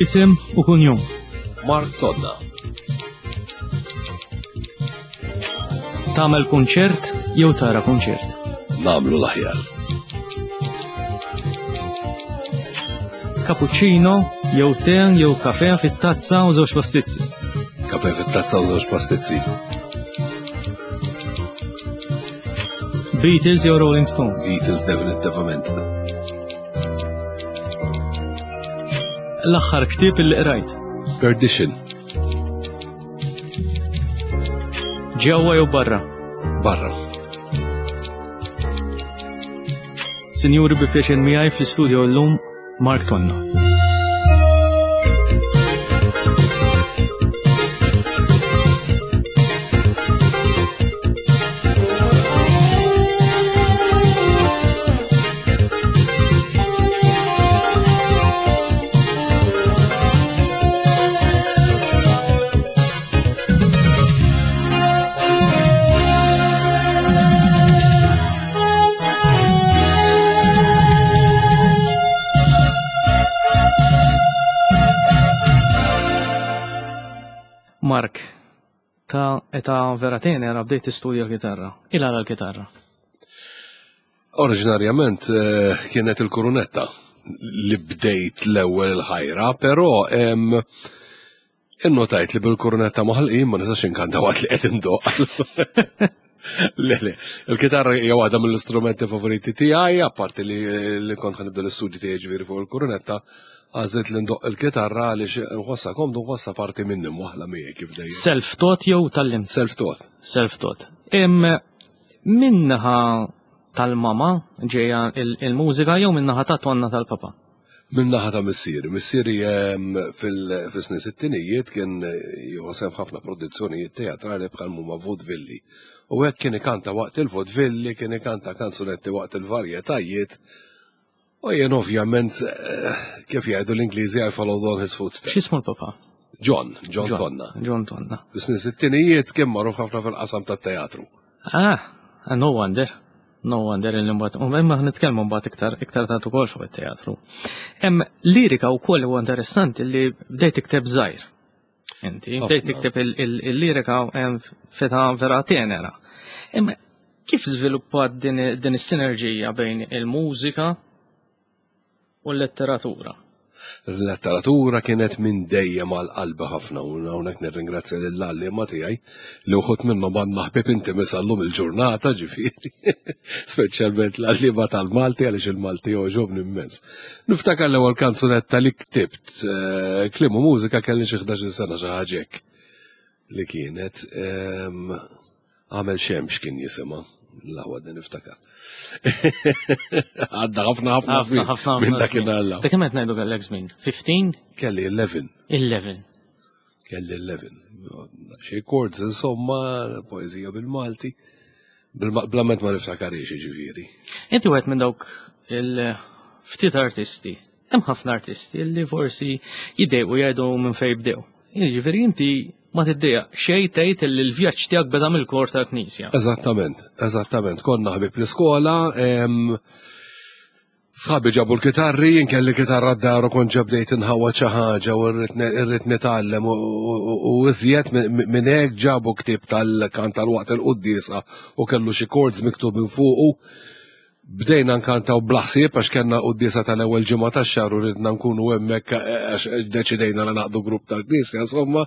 Isem u kunjom. Mark Tonna. Tagħmel kunċert jew tara kunċert? Nagħmlu l-aħjar. Cappuccino jew te jew kafe fit-tazza u żewġ pastizzi. Kafe fit-tazza u żewġ pastizzi. Beatles jew Rolling Stones? Beatles definitivament. L-aħħar ktieb li qrajt. Perdition. Ġewwa jew barra? Barra. Sinjuri bi pjaċir miegħi fl-istudio llum Mark Tonna. Mark, ta' eta vera tenera bdejt tistudja l-kitarra. Il għala l-kitarra? Oriġinarjament eh, kienet il-kurunetta li bdejt l-ewwel il-ħajra, però innotajt li bil-kurunetta maħalqin ma nistax inkanta waqt li qed indoq. Le, le, il-kitarra hija waħda mill-istrumenti favoriti tiegħi, apparti li, li kont ħanibda l-istudji tiegħi ġifieri fuq il-kurunetta, għażilt li ndoq il-kitarra għaliex nħossha komdu nħossha parti minni mwaħla miegħi kif dejjem. Self-taught jew tallimt? Self-taught. Self-taught. Minnaħa tal-mama ġejja il-mużika jew minnaħa ta' tonna tal-papa? Minnaħa ta' missieri. Missieri fil-snin sittinijiet kien jieħu sehem f'ħafna produzzjonijiet teatrali bħal huma vudvilli. U hekk kien ikanta waqt il-vudvilli, kien ikanta kanzunetti waqt il-varjetajiet. U jien ovvjament, eh, kif jgħidu l-Ingliżi, I followed on his footsteps. X'ismu l-papa? John, John Tonna. John Tonna. Fis-snin sittinijiet kien magħruf ħafna fil-qasam tat-teatru. Ah, no wonder. No wonder li mbagħad, u imma nitkellmu mbagħad iktar iktar tard ukoll fuq it-teatru. Hemm lirika wkoll huwa interessanti li bdejt tikteb żgħir. Inti bdejt tikteb il-lirika feta vera tenera. Imma kif żviluppat din is-sinerġija bejn il-mużika u l-letteratura. Il-letteratura kienet minn dejjem għal qalbi ħafna u hawnhekk nirringrazzja lil għalliema tiegħi li wħud minnhom għandna ħbieb intimi sal-lum il-ġurnata ġifieri. Speċjalment l-għalliema tal-Malti għaliex il-Malti jogħġobni immens. Niftakar l-ewwel kanzunetta li ktibt eh, kliem u mużika kelli xi 11-il sena xi ħaġa hekk li kienet. Ehm, Għamel xemx kien jisimha. L-aħwa din niftakar. Għadda ħafna ħafna żmien. Ħafna minn dak il-alla. Dak kemm qed ngħidu kellek żmien? 15? Kelli 11. 11. Kelli 11. Xi chords insomma, poeżija bil-Malti. Blament ma niftakarix ġifieri. Inti wieħed minn dawk il-ftit artisti. Hemm ħafna artisti li forsi jiddejqu jgħidu minn fejn bdew. Jiġifieri inti ma tiddejjaq xejn tgħid li l-vjaġġ tiegħek beda mill-kor tal-Knisja. Eżattament, eżattament. Konna ħbib l-iskola, sħabi ġabu l-kitarri, jien kelli kitarra d-dar u kont ġabdejt inħawwa xi ħaġa u rrid nitgħallem u iżjed minn hekk ġabu ktieb tal-kant tal-waqt il-quddiesa u kellu xi chords miktubin fuqu. Bdejna nkantaw bla ħsieb għax kellna quddiesa tal-ewwel ġimgħa tax-xahar u ridna nkunu hemmhekk eh, għax deċidejna li naqdu grupp tal-Knisja insomma.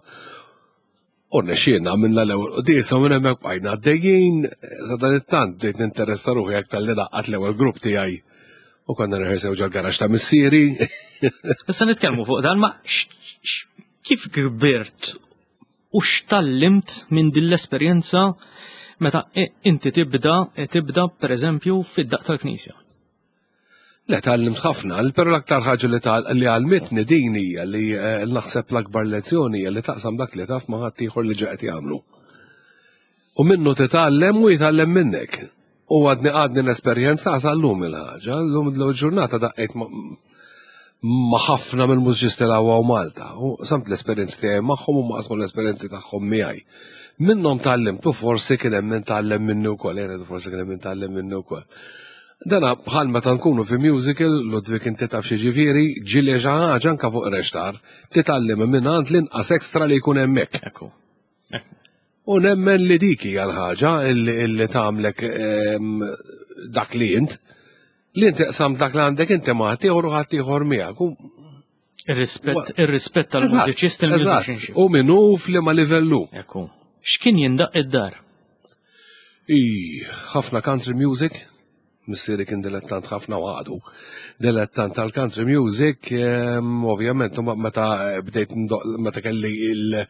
U rnexxielna għamilna l-ewwel quddiesa u minn hemmhekk bqajna għaddejjin, sa dan it-tant bdejt ninteressa ruħi aktar li naqqat l-ewwel grupp tiegħi u konna nirħesew ġol-garax ta' missieri. Issa nitkellmu fuq dan ma kif kbirt U x'tgħallimt minn din l-esperjenza meta inti tibda tibda pereżempju fid-daqq tal-Knisja? Le tgħallimt ħafna, però l-aktar ħaġa li li għalmitni din hija li eh, naħseb l-akbar lezzjoni hija li taqsam dak li taf ma' ħaddieħor li ġa qed jagħmlu. U minnu titgħallem u jitgħallem minnek. U għadni għadni l-esperjenza sal-lum il-ħaġa, l-lum l-ġurnata daqqejt ma' ħafna mill-mużiċisti l u Malta. U samt l-esperjenzi tiegħi magħhom u ma qasmu l-esperjenzi tagħhom miegħi. Minnhom tgħallimt u forsi kien hemm min tgħallem minni wkoll, jien forsi kien hemm min tgħallem minni wkoll. Dana bħal meta nkunu fi musical, Ludwig inti taf xi ġifieri, ġieli xi ħaġa anke fuq rextar, titgħallem minn għand l-inqas extra li jkun hemmhekk. Ekku. U nemmen li dik hija l-ħaġa illi tagħmlek ehm, dak li int. Li inti qsam dak li għandek inti ma ħaddieħor u ħaddieħor miegħek. Ir-rispett ir-rispett tal-mużiċist il-musicianship. U minnu f'liema livellu. Ekku. X'kien jindaq id-dar? I, ħafna country music, missieri kien dilettant ħafna u għadu. Dilettant tal-country music, ehm, ovvjament, meta bdejt meta kelli il-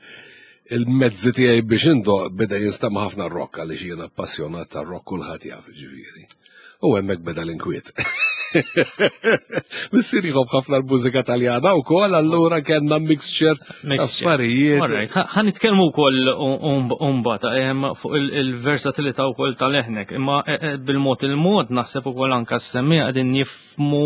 il-mezzi tiegħi biex indoq beda jinstema' ħafna rock għaliex jiena appassjonat tar-rock kulħadd jaf ġifieri. U hemmhekk beda l-inkwiet. Missier jħobb ħafna l-mużika Taljana wkoll, allura kellna mixture affarijiet. Alright, ħa nitkellmu wkoll mbagħad fuq il-versatilità wkoll tal-eħnek, imma e, e, bil-mod il-mod naħseb ukoll anke s-semmiegħa qegħdin jifmu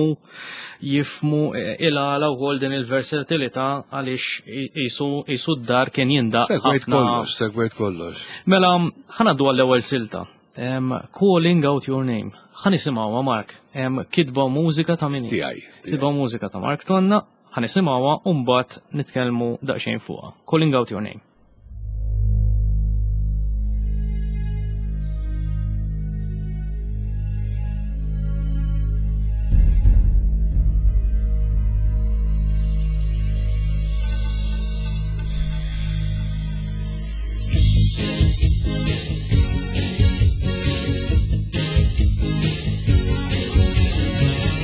jifmu e, il-għala wkoll din il-versatilità għaliex jisu d-dar kien jindaq. Segwejt kollox, segwejt kollox. Mela, ħanaddu għall-ewwel silta. Calling out your name. Ħa nisimgħuha Mark. Kitba u mużika ta' min? Tiegħi. Kitba u mużika ta' Mark Tonna. Ħa nisimgħuha u mbagħad nitkellmu daqsxejn fuqha. Calling out your name.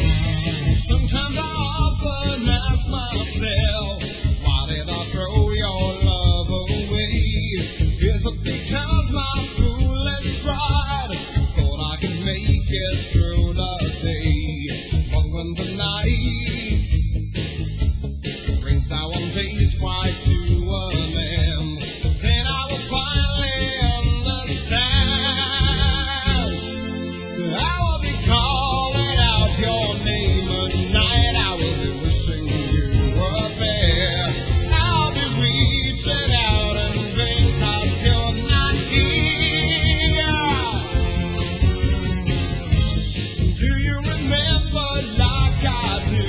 Sometimes I often ask myself, why did I throw your love away? Is it because my foolish pride thought I could make it through the day? But when the night brings now one day's quite to an end, then I will finally understand. I will be calling out your name at night. I will be wishing you were there. I'll be reaching out in vain 'cause you're not here. Do you remember like I do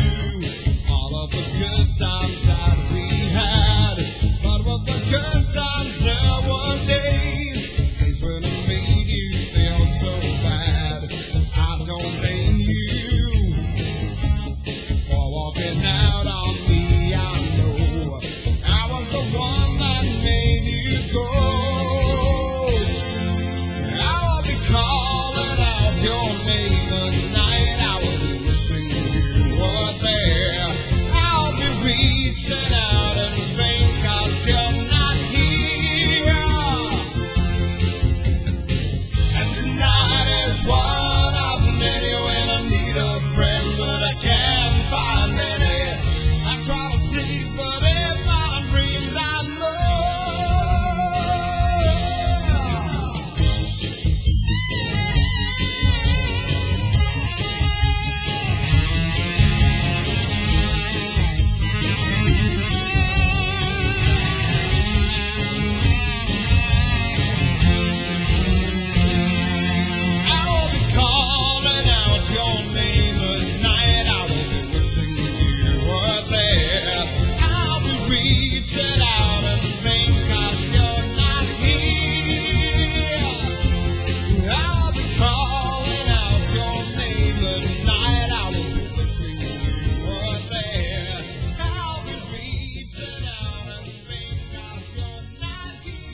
all of the good times that we had? But with the good times there were days, days when I made you feel so bad. I don't blame you for walking out on me. I know I was the one that made you go. I will be calling out your name at night. I will be wishing you were there. I'll be reaching out in vain 'cause you're not here. And tonight is one of many when I need a friend, but I can't find any. I try to sleep, but in my dreams I'm there. I will be calling out your name at night. I will be wishing you were there. I'll be reaching out in vain 'cause you're not here. I'll be calling out your name at night. I will be wishing you were there. I'll be reaching out in vain 'cause you're not here.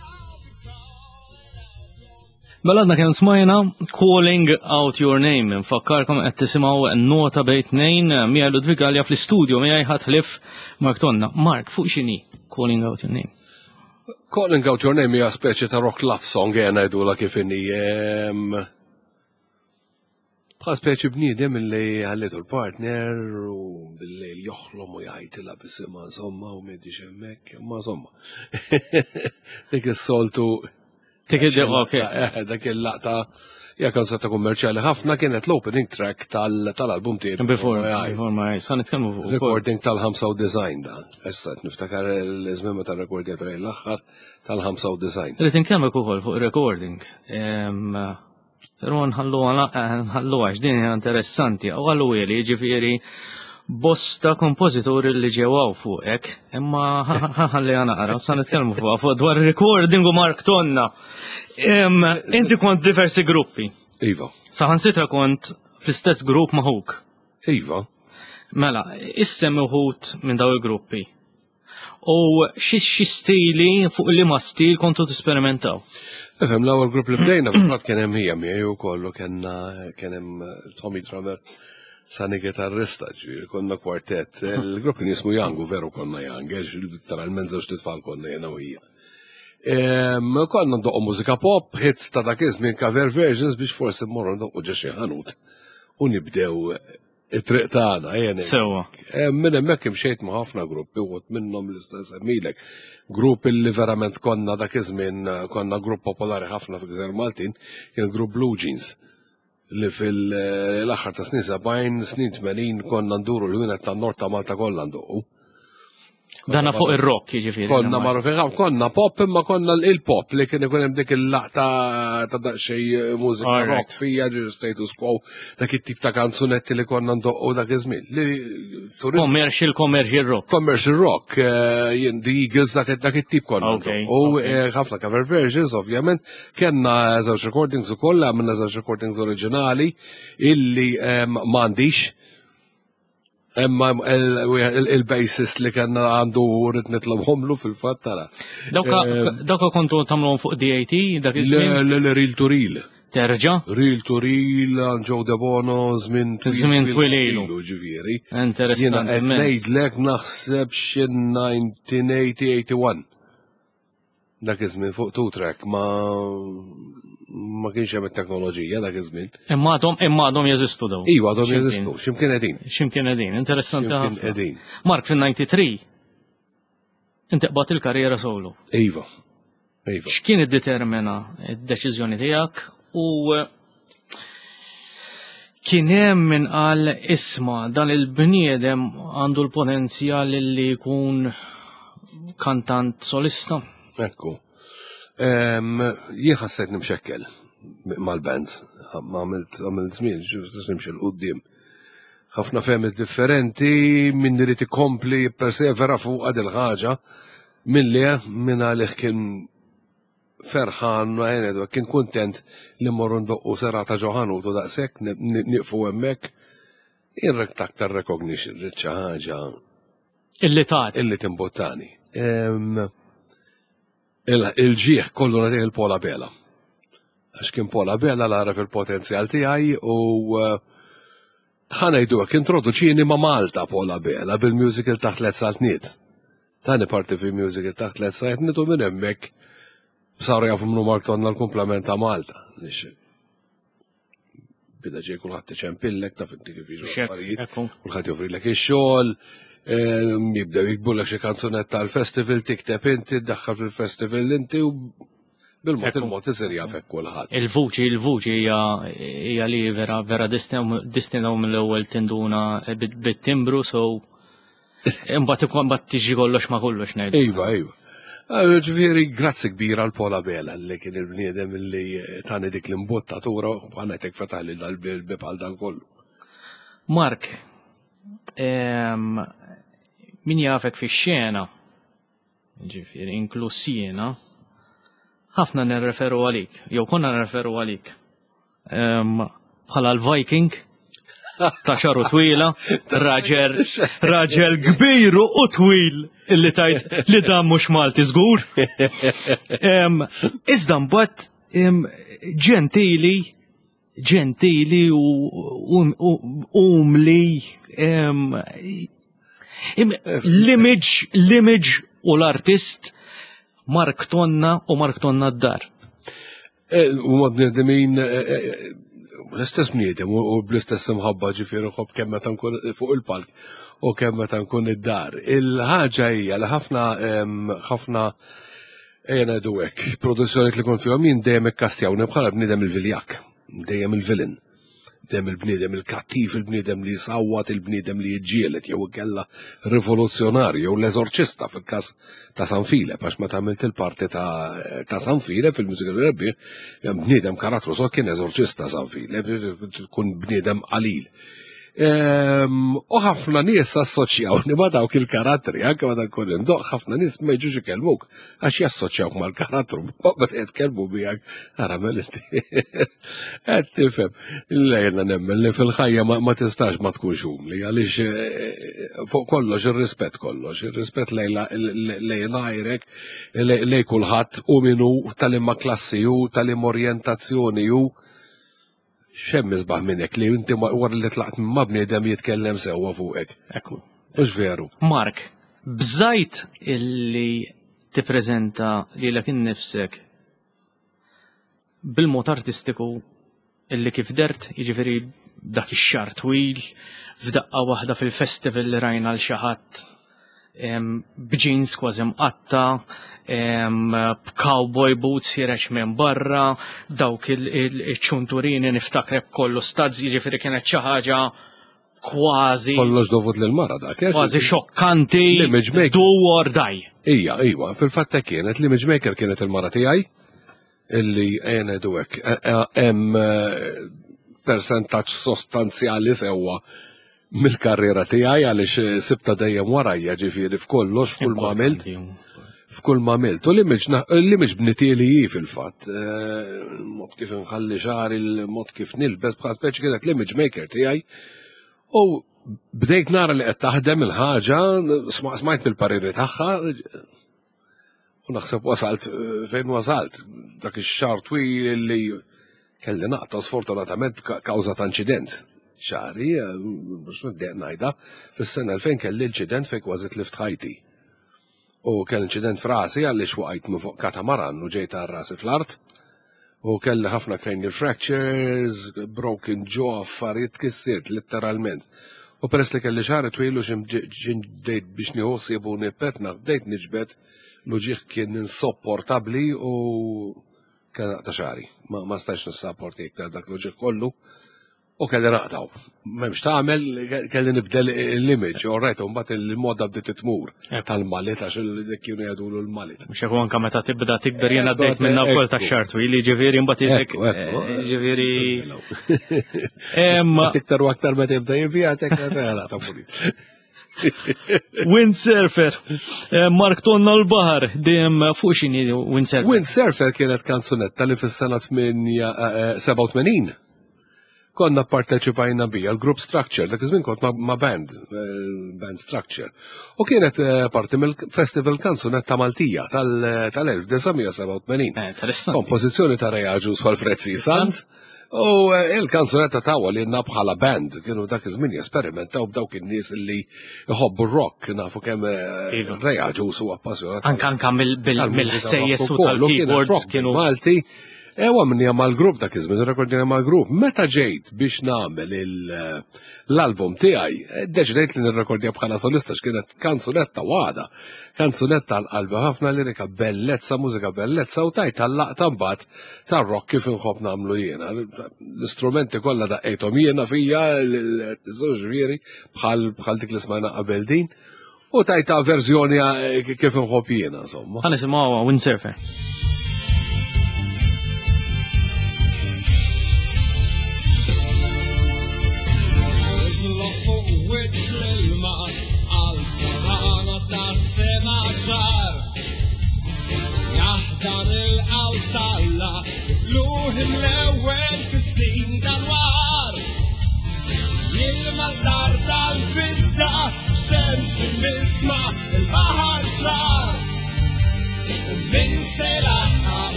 I'll be calling out your Mela għadna kemm smajna Calling Out Your Name. Nfakkarkom qed tisimgħu nota bejn tnejn miegħi Ludwig Galea fl-istudio miegħi ħadd ħlief Mark Tonna. Mark, fuq x'inhi Calling Out Your Name? Calling Out Your Name hija speċi ta' rock love song ejja ngħidulha kif inhi. Bħal speċi bniedem illi ħallitu l-partner u bil-lejl joħlom u jgħajtilha bisimha insomma u m'għedix hemmhekk, imma insomma. Dik is-soltu Dik id ok. Dak il-laqta hija kanzunetta kummerċjali ħafna kienet l-opening track tal-album tiegħi. Before, Before My Eyes, ħa nitkellmu fuq ukoll. Recording tal-95 dan. Issa qed niftakar l-żmien meta rrekordjatu lejn l-aħħar tal-95. Rrid inkellmek ukoll fuq recording. Però nħalluha nħalluha għax din hija interessanti. U għallu li jiġifieri bosta kompożituri li ġew hawn fuqek, imma ħalli naqra, sa nitkellmu fuqha fuq dwar recording u Mark Tonna. Inti kont diversi gruppi. Iva. Saħansitra kont fl-istess grupp ma' ħuk. Iva. Mela, issem uħud minn daw il-gruppi. U xi stili fuq liema stil kontu tisperimentaw? Ifhem, l-ewwel grupp li bdejna fil-fatt kien hemm hija miegħi wkoll u kellna kien hemm Tommy drummer Sani gitarrista, ġifieri konna kwartett. Il-grupp kien jismu Young u veru konna Young, għax literalment żewġ titfal konna jiena u hija. Konna ndoqqu mużika pop, hits ta' dak iż-żmien cover versions biex forsi mmorru ndoqqu ġo xi ħanut u nibdew it-triq tagħna, ejja ngħid. Sewwa. Minn hemmhekk imxejt ma' ħafna gruppi uħud minnhom li nista' nsemmilek. Grupp illi verament konna dak iż-żmien konna grupp popolari ħafna fil-Gżejjer Maltin, kien grupp Blue Jeans li fil-aħħar ta' snin 70, snin 80 konna nduru l-ħwienet tan-nord ta' Malta kollha ndoqqu. Dana fuq ir-rock, jiġifieri. Konna magħrufin ħafna, konna pop imma konna il-pop li kien ikun hemm dik il-laqta ta' daqsxejn mużika rock fija ġi status quo dak it-tip ta' kanzunetti li konna ndoqqu dak iż-żmien. Commercial, commercial rock. Commercial rock, eh, the Eagles dak it-tip konna. U eh, ħafna cover versions, ovvjament, kellna żewġ recordings ukoll, għamilna żewġ recordings oriġinali illi eh, m'għandix. Imma il-bassist li kellna għandu rrid nitlobhomlu fil-fatt tara. Dawka kontu tagħmluhom fuq DAT dak iż-żmien? Le, le, reel to reel. Terġa'? Reel to reel, Joe Debono, żmien twil. Żmien twil ilu. Ġifieri. Interessanti. Jiena qed ngħidlek naħseb xi 1980-81. Dak iż-żmien fuq two track ma ma kienx hemm it-teknoloġija dak iż-żmien. Imma għadhom imma għadhom jeżistu dawn. Iva għadhom jeżistu, x'imkien qegħdin. X'imkien qegħdin, interessanti ħafna. Qegħdin. Mark fin-93 inti qbad il-karriera solo. Iva. Iva. X'kien iddetermina d-deċiżjoni tiegħek u kien hemm min qal isma' dan il-bniedem għandu l-potenzjal li jkun kantant solista. Ekku. Jien ħassejt nimxekkel mal-bands, ma għamilt għamilt żmien, ġust nimxi 'l quddiem. Ħafna fehmiet differenti, min irid ikompli jippersevera fuq il ħaġa, min le, min għalih kien ferħan, ngħidu kien kuntent li mmorru ndoqqu serata ġo ħanut u daqshekk nieqfu hemmhekk. Jien rrid aktar recognition, rrid xi ħaġa. Illi tagħti. Illi timbuttani. Il-ġieħ kollu nagħtih il-Pola Bela. Għax kien Pola Bela l għaref il-potenzjal tiegħi u eh, ħa ngħidu hekk introduċini ma' Malta Pola Bela bil-musical taħt Tliet Saltniet. Tani parti fi musical taħt Tliet Saltniet u minn hemmhekk saru jafu minnu Mark Tonna l-kumplament ta' Malta. Bida ġej kulħadd iċempillek taf inti kif jiġu affarijiet, kulħadd joffrilek ix-xogħol, jibdew jikbulek xi kanzunetta għall-festival, tikteb inti, ddaħħal fil-festival inti u bil-mod il-mod isir jafek kulħadd. Il-vuċi, il-vuċi hija li vera vera distinaw mill-ewwel tinduna bit-timbru, so imbagħad ikun mbagħad tiġi kollox ma kollox ngħidu. Iva, iva. Ġifieri, grazzi kbira għal Pola Bela li kien il-bniedem li tani dik l-imbottatura u għanetek fetaħli dal-bib għal dan kollu. Mark, min jafek fix-xena, ġifieri inkluż jiena, ħafna nirreferu għalik, jew konna nirreferu għalik. Bħala l-Viking ta' xaru twila, raġel, raġel kbir u twil illi tajt li dan mhux Malti żgur. Iżda mbagħad ġentili, ġentili u umli l-image, l-image u l-artist Mark Tonna u Mark Tonna d-dar. Eh, u ma bnedmin eh, eh, l-istess bniedem u bl-istess imħabba ġifieri nħobb kemm meta nkun fuq il-palk u kemm meta nkun id-dar. Il-ħaġa hija li ħafna ħafna ejja ngħidu hekk, produzzjonijiet li kont fihom jien dejjem ikkastjawni bħala bniedem il-viljak, dejjem il-villain. Dem il-bniedem il-kattiv, il-bniedem li jsawwat, il-bniedem li jiġġieled jew inkella rivoluzzjonarju jew l-eżorċista fil-każ ta' San Filep, għax meta għamilt il-parti ta' San Filep fil-musical rebbieħ, bniedem karattru sod kien eżorċista San Filep, tkun bniedem qalil. U ħafna nies assoċjawni ma' dawk il-karattri, anke meta nkun indoq, ħafna nies ma jiġux ikellmuk għax jassoċjawk mal-karattru, meta jitkellmu miegħek, ara mel inti. Qed tifhem. Lejna nemmen li fil-ħajja ma tistax ma tkunx umli għaliex eh, fuq kollox ir-rispett kollox, ir-rispett lejn għajrek, lej kulħadd u minu tal-imma klassi u tal-imma orjentazzjoni u X'hemm isbaħ minn hekk li inti wara li tlaqt minn ma' bniedem jitkellem sewwa fuqek. Ekku. Mhux veru. Mark, bżajt illi tippreżenta lilek innifsek bil-mod artistiku illi kif dert, jiġifieri dak ix-xar twil, f'daqqa waħda fil-festival li rajna l xi ħadd b'jeans kważi mqatta, b'cowboy boots ħireġ minn barra, dawk il-ċunturini niftakrek kollu stazz, jiġifieri kienet xi ħaġa kważi. Kollox dovut lil mara dak. Eh? Kważi xokkanti. L-image maker. Do or die. Ija, iwa, fil-fatt kienet l-image maker kienet il-mara tiegħi illi għenedu hekk e, e, hemm eh, persentaġġ sostanzjali sewwa mill-karriera tiegħi għaliex eh, sibta dejjem warajja ġifieri f'kollox f'kull ma għamilt. F'kull ma għamilt. U l-image bnitieli hi fil-fatt. Eh, mod kif nħalli xagħri, il-mod kif nilbes bħal speċi kienet l-image maker tiegħi. U bdejt nara li qed taħdem il-ħaġa, smajt mill-pariri tagħha, U naħseb wasalt eh, fejn wasalt, dak ix-xahar twil li kelli naqta' sfortunatament kawża ta' inċident. Xari, eh, mhux niddeq ngħidha, fis-sena 2000 kelli inċident fejn kważi tlift ħajti. U kelli inċident f'rasi għaliex waqajt minn fuq katamaran u ġejt għal rasi fl-art. U kelli ħafna cranial fractures, broken jaw, affarijiet kissirt letteralment. U peress li kelli xagħri twil u xi bdejt biex nieħu ħsieb u nippetna, bdejt niġbed l-uġigħ kien insopportabbli u kelli naqta' xagħri. Ma stajtx nissaporti iktar dak l-uġigħ kollu. U kelli naqtaw. M'hemmx tagħmel, kelli nibdel l-image, all right, u mbagħad il-moda bdiet tmur tal-malit għax kienu jgħidulu l-malit. Mhux hekk anke meta tibda tikber jiena bdejt minna wkoll ta' xar twil, jiġifieri mbagħad isek jiġifieri. Iktar u aktar meta jibda jivvjatek, ta' pulit. Windsurfer, eh, Mark Tonna l-Bahar, dejjem fuq xini Windsurfer? Windsurfer kienet kanzunetta li fis-sena 87 eh, konna parteċipajna bija l-group structure, dak iż-żmien kont ma' band, eh, band structure. U kienet parti mill-Festival Kanzunetta Maltija tal-1987. Kompożizzjoni ta' Reaġu Alfred Sant. U eh, il-kanzunetta tawa li jenna bħala band, kienu dak iż-żmien jesperimentaw b'dawk in-nies li jħobbu rock, nafu kemm eh, iva. Rea Ġus u appassjonat. Anka anka mill-ħsejjes u tal-keyboards kienu. Malti. Ewa minni mal-grupp dak iż-żmien, rekordina mal-grupp. Meta ġejt biex nagħmel eh, l-album tiegħi, deċidejt li nirrekordja bħala solista x'kienet kanzunetta waħda. Kanzunetta għal qalbi ħafna lirika bellezza, mużika bellezza u tajt għall-laqta mbagħad tar-rock kif inħobb nagħmlu jiena. L-istrumenti kollha daqqejthom jiena fija, ġifieri bħal bħal dik li smajna qabel din. U tajta verżjoni eh, kif inħobb jiena, insomma. Ħa nisimgħu Windsurfer.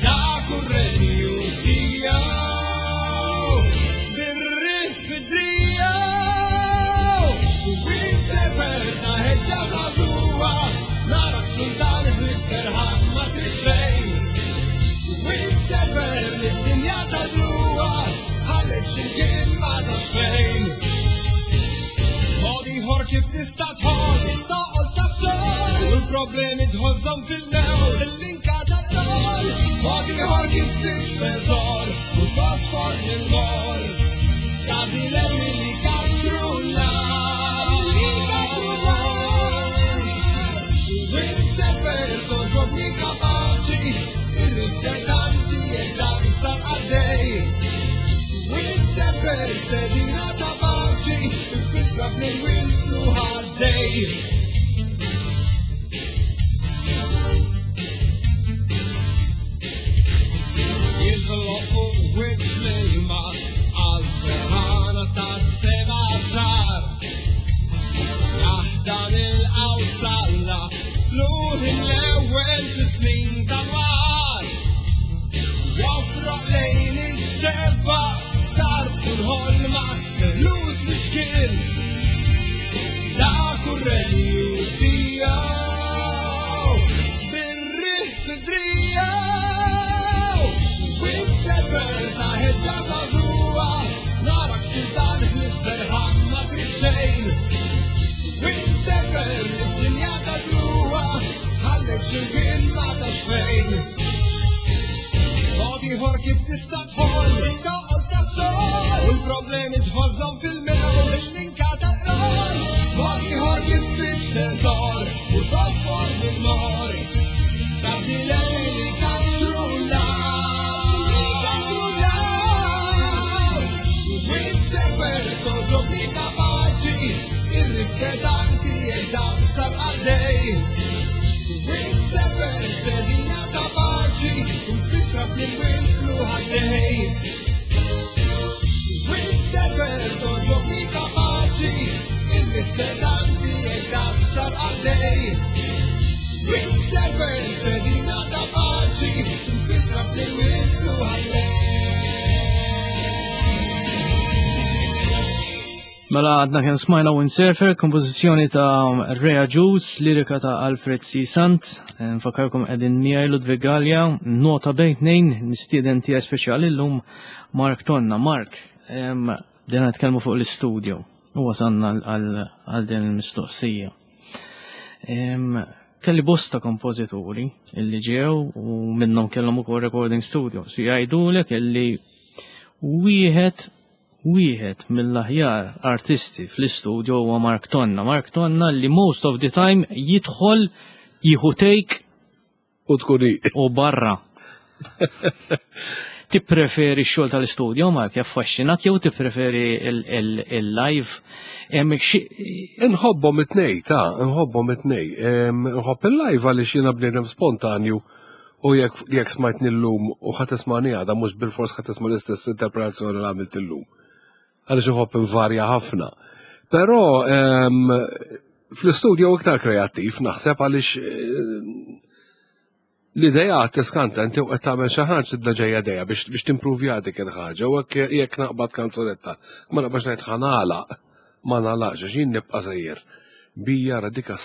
Dak hu r-renju tiegħu bir-riħ fid-driegħu. Windsurfer ta' ħeġġa żagħżugħa, narak sultan ħlief serħan ma trid xejn. Windsurfer lid-dinja tad-dluwa, ħallejt x'imkien ma tafx fejn. Mod ieħor kif tista' tħoll, toqol tas-sol, u l-problemi tħożżhom fil-mewl, il-linka tat-tol. Mod ieħor kif tfitx teżor, u tosfor mill-mor. Ta' dilemmi li katru n-nar. Windsurfer toġobni kapaċi, irrisetanti jekk dan sar għaddej. Windsurfer stedina ta' paċi, infissra fl-irwien fluħaddej. Jiżloq fuq wiċċ l-ilma għal ferħana ta' sema ċar. Jaħdam il-qawsalla luħ l-ewwel fi snin ta' mar. Joffroq lejn ix-xebba f'tarf kull ħolma meħlus mixkil. Dak hu r-renju tiegħu bir-riħ fid-driegħu. Windsurfer ta' ħeġġa żagħżugħa, narak sultan ħlief serħan ma trid xejn. Windsurfer lid-dinja tad-dluwa, ħallejt x'imkien ma tafx fejn. Mod ieħor kif tista' tħoll, toqol tas-sol, u l-problemi tħożżhom fil-mewl, il-linka tal-qror. Mod ieħor kif tfitx teżor, u tosfor mill-mor. Ta' dilemmi li katru l-għar. Windsurfer toġobni kapaċi, irrisetanti jekk dan sar għaddej. Windsurfer stedina ta' paċi, mfissra fl-imwien fluħaddej. Windsurfer toġobni kapaċi, irrisetanti jekk dan sar għaddej. Windsurfer stedina ta' paċi, mfissra fl-imwien fluħaddej. Mela għadna kien smajna Windsurfer, kompożizzjoni ta' Rea Juice, lirika ta' Alfred C. Sant. Nfakkarkom qegħdin miegħi Ludwig Galea, nota bejn tnejn, mistieden tiegħi speċjali llum Mark Tonna. Mark, bdejna nitkellmu fuq l-istudio u wasalna għal din il-mistoqsija. Kelli bosta kompożituri illi ġew u minnhom kellhom ukoll recording studios. Jgħidulek illi wieħed mill-aħjar artisti fl-istudio huwa Mark Tonna. Mark Tonna li most of the time jidħol jieħu take u tkun u barra. Tippreferi x-xogħol tal-istudio, Mark, jaffaxxinak jew tippreferi il-live? Inħobbhom it-tnej, ta' inħobbhom it-tnej. Inħobb il-live għaliex jiena bniedem spontanju u jekk smajtni llum u ħa tismani għada mhux bilfors ħa tisma' l-istess interpretazzjoni li għamilt illum. Għaliex inħobb invarja ħafna. Però fl-istudio iktar kreattiv naħseb għaliex l-idea tiskanta inti u qed tagħmel xi ħaġa tibda ġejja dejja biex timpruvja dik il-ħaġa u jekk naqbad kanzunetta ma naqbax ngħid ħa nagħlaq, ma nagħlaqx għax jien nibqa' sejjer. Bija ra dika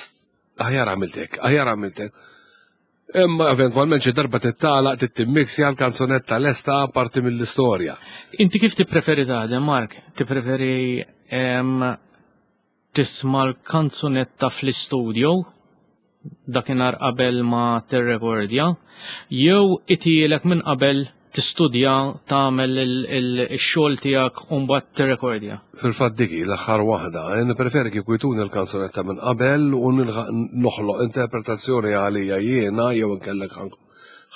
aħjar għamiltek, aħjar għamiltek. Imma eventwalment xi darba tittalaq, tittimmixja l-kanzunetta lesta parti mill-istorja. Inti kif tippreferi taħdem, Mark? Tippreferi tisma' l-kanzunetta fl-istudio dakinhar qabel ma tirrekordja, jew itielek minn qabel tistudja tagħmel ix-xogħol tiegħek u mbagħad tirrekordja? Fil-fatt dik hi l-aħħar waħda. Nippreferi kieku jtuni l-kanzunetta minn qabel u nilħaq noħloq interpretazzjoni għalija jiena jew inkellek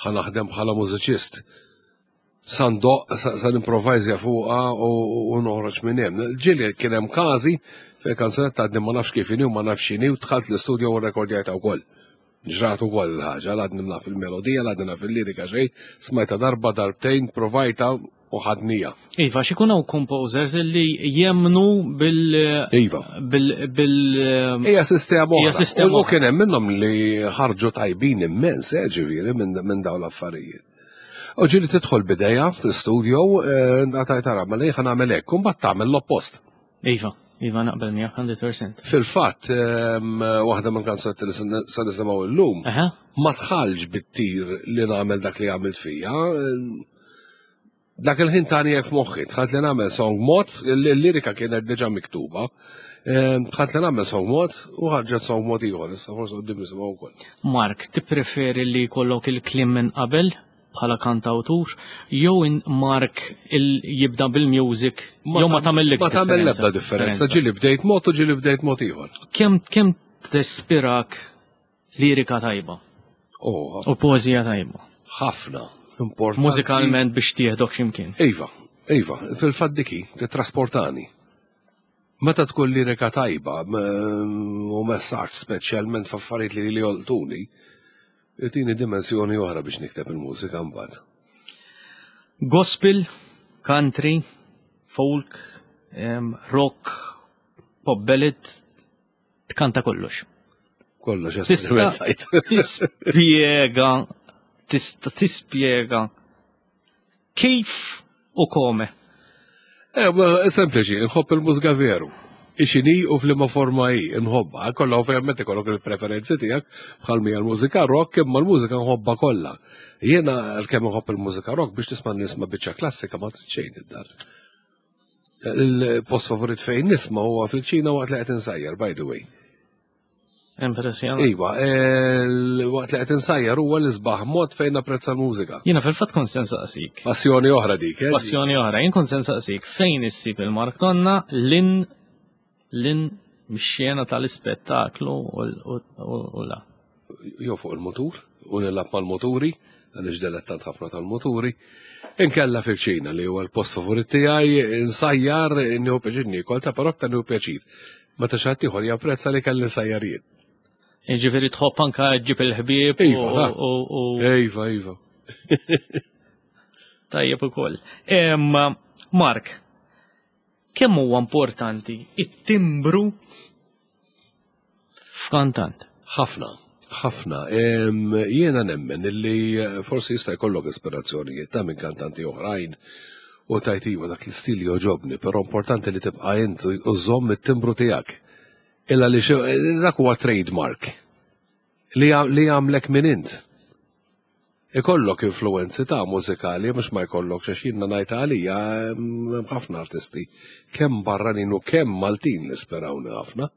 ħa naħdem bħala mużiċist. Sa ndoqq, sa nimprovajżja fuqha u noħroġ minn hemm. Ġieli kien hemm każi fejn kanzunetta għadni ma nafx kif inhi u ma nafx x'inhi u dħalt l-istudio u rrekordjajtha wkoll. Ġrat ukoll il-ħaġa, l-għadni naf il-melodija, l-għadni naf il-lirika xejn, smajta darba, darbtejn, provajta u ħadnija. Iva, xikun hawn composers li jemnu bil. Iva. Bil. bil Hija sistema oħra. Hija sistema U kien hemm minnhom li ħarġu tajbin immens, ġifieri, minn dawn l-affarijiet. U ġieli tidħol b'idea fl-studio, għataj tara, ma li ħa nagħmel hekk, u mbagħad tagħmel l-oppost. Iva, iva naqbel miegħek 100%. Fil-fatt, waħda mill-kanzunetti li se nisimgħu llum, ma tħallx bit-tir li nagħmel dak li għamilt fija. Dak il-ħin tani hekk f'moħħi, dħalt li nagħmel song mod, il-lirika kienet diġà miktuba, dħalt li nagħmel song mod u ħarġet song mod ieħor, issa forsi qudiem nisimgħu wkoll. Mark, tippreferi li jkollok il-kliem minn qabel bħala kantawtur, jew Mark jibda bil-music, jew ma tagħmel Ma tagħmel l-ebda differenza, ġieli bdejt mod u ġieli bdejt mod ieħor. Kemm tispirak lirika tajba? Oh, U poeżija tajba. Ħafna. Importanti. Mużikalment biex tieħdok x'imkien. Iva, iva, fil-fatt diki titrasportani. Meta tkun lirika tajba u messaġġ speċjalment f'affarijiet li li jolqtuni, tini dimensjoni oħra biex nikteb il-mużika mbagħad. Gospel, country, folk, rock, pop ballad, tkanta kollox. Kollox, Tista' esperimentajt. tispjega, tista' tispjega kif u kome. Ma, sempliċi, nħobb il-mużika veru. Ixini u f'liema forma hi, nħobbha. Kollha ovvjament ikollok il-preferenzi tiegħek bħal mija l-mużika rock, imma l-mużika nħobbha kollha. Jiena għalkemm nħobb il-mużika rock biex tisma' nisma' biċċa klassika ma trid xejn id-dar. Il-post favorit fejn nisma' huwa fil-ċina waqt li qed insajjar, by the way. Impressjonant. Iva, waqt li qed insajjar huwa l-isbaħ mod fejn napprezza l-mużika. Jiena fil-fatt kont se nsaqsik. Passjoni oħra dik, eh? Passjoni oħra, jien kont se nsaqsik fejn issib il-Mark Tonna lin mix-xena tal-ispettaklu u la. Jew fuq il-motur, u nilgħab mal-moturi, għaliex delettant ħafna tal-moturi. Inkella fil-ċina li huwa l-post favorit tiegħi, nsajjar, nieħu pjaċir niekol, ta' però aktar nieħu pjaċir. Meta xi ħadd ieħor japprezza li kelli nsajjar jien. Jiġifieri tħobb anka ġġib il-ħbieb Iva, da. Iva, iva. Tajjeb ukoll. Mark, kemm huwa importanti it-timbru f'kantant? Ħafna, ħafna. Jiena nemmen illi forsi jista' jkollok ispirazzjonijiet ta' minn kantanti oħrajn u tajt iva dak l-istil joġobni, però importanti li tibqa' int u żomm it-timbru tiegħek. Illa li dak huwa trademark li jagħmlek minn int. Ikollok influenzi ta' mużikali, mhux ma jkollok, għax jiena ngħid għalija hemm ħafna artisti, kemm barranin u kemm Maltin li sperawni ħafna,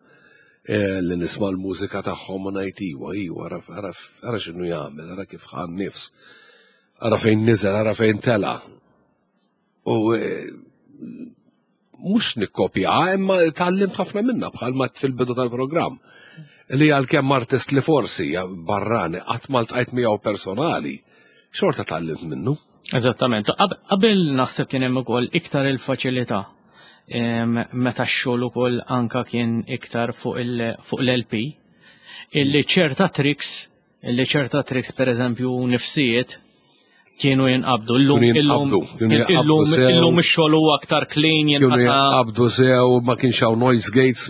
li nisma' l-mużika tagħhom u ngħid iwa, iwa, ara x'inhu jagħmel, ara kif ħa n-nifs, ara fejn niżel, ara fejn tela'. U mhux nikkopja, imma tgħallimt ħafna minnha bħalma fil-bidu tal-programm. Li għalkemm artist li forsi barrani qatt ma ltqajt miegħu personali, xorta tgħallimt minnu. Eżattament. Qabel naħseb kien hemm ukoll iktar il-faċilità. Meta x-xogħol ukoll anka kien iktar fuq l-LP, illi ċerta tricks, illi ċerta tricks pereżempju nifsijiet kienu jinqabdu. Illum, Kienu illum, jinqabdu, kienu jinqabdu illum, sew. illum ix-xogħol huwa aktar clean, Kienu jinqata' jinqabdu sew, ma kienx hawn noise gates,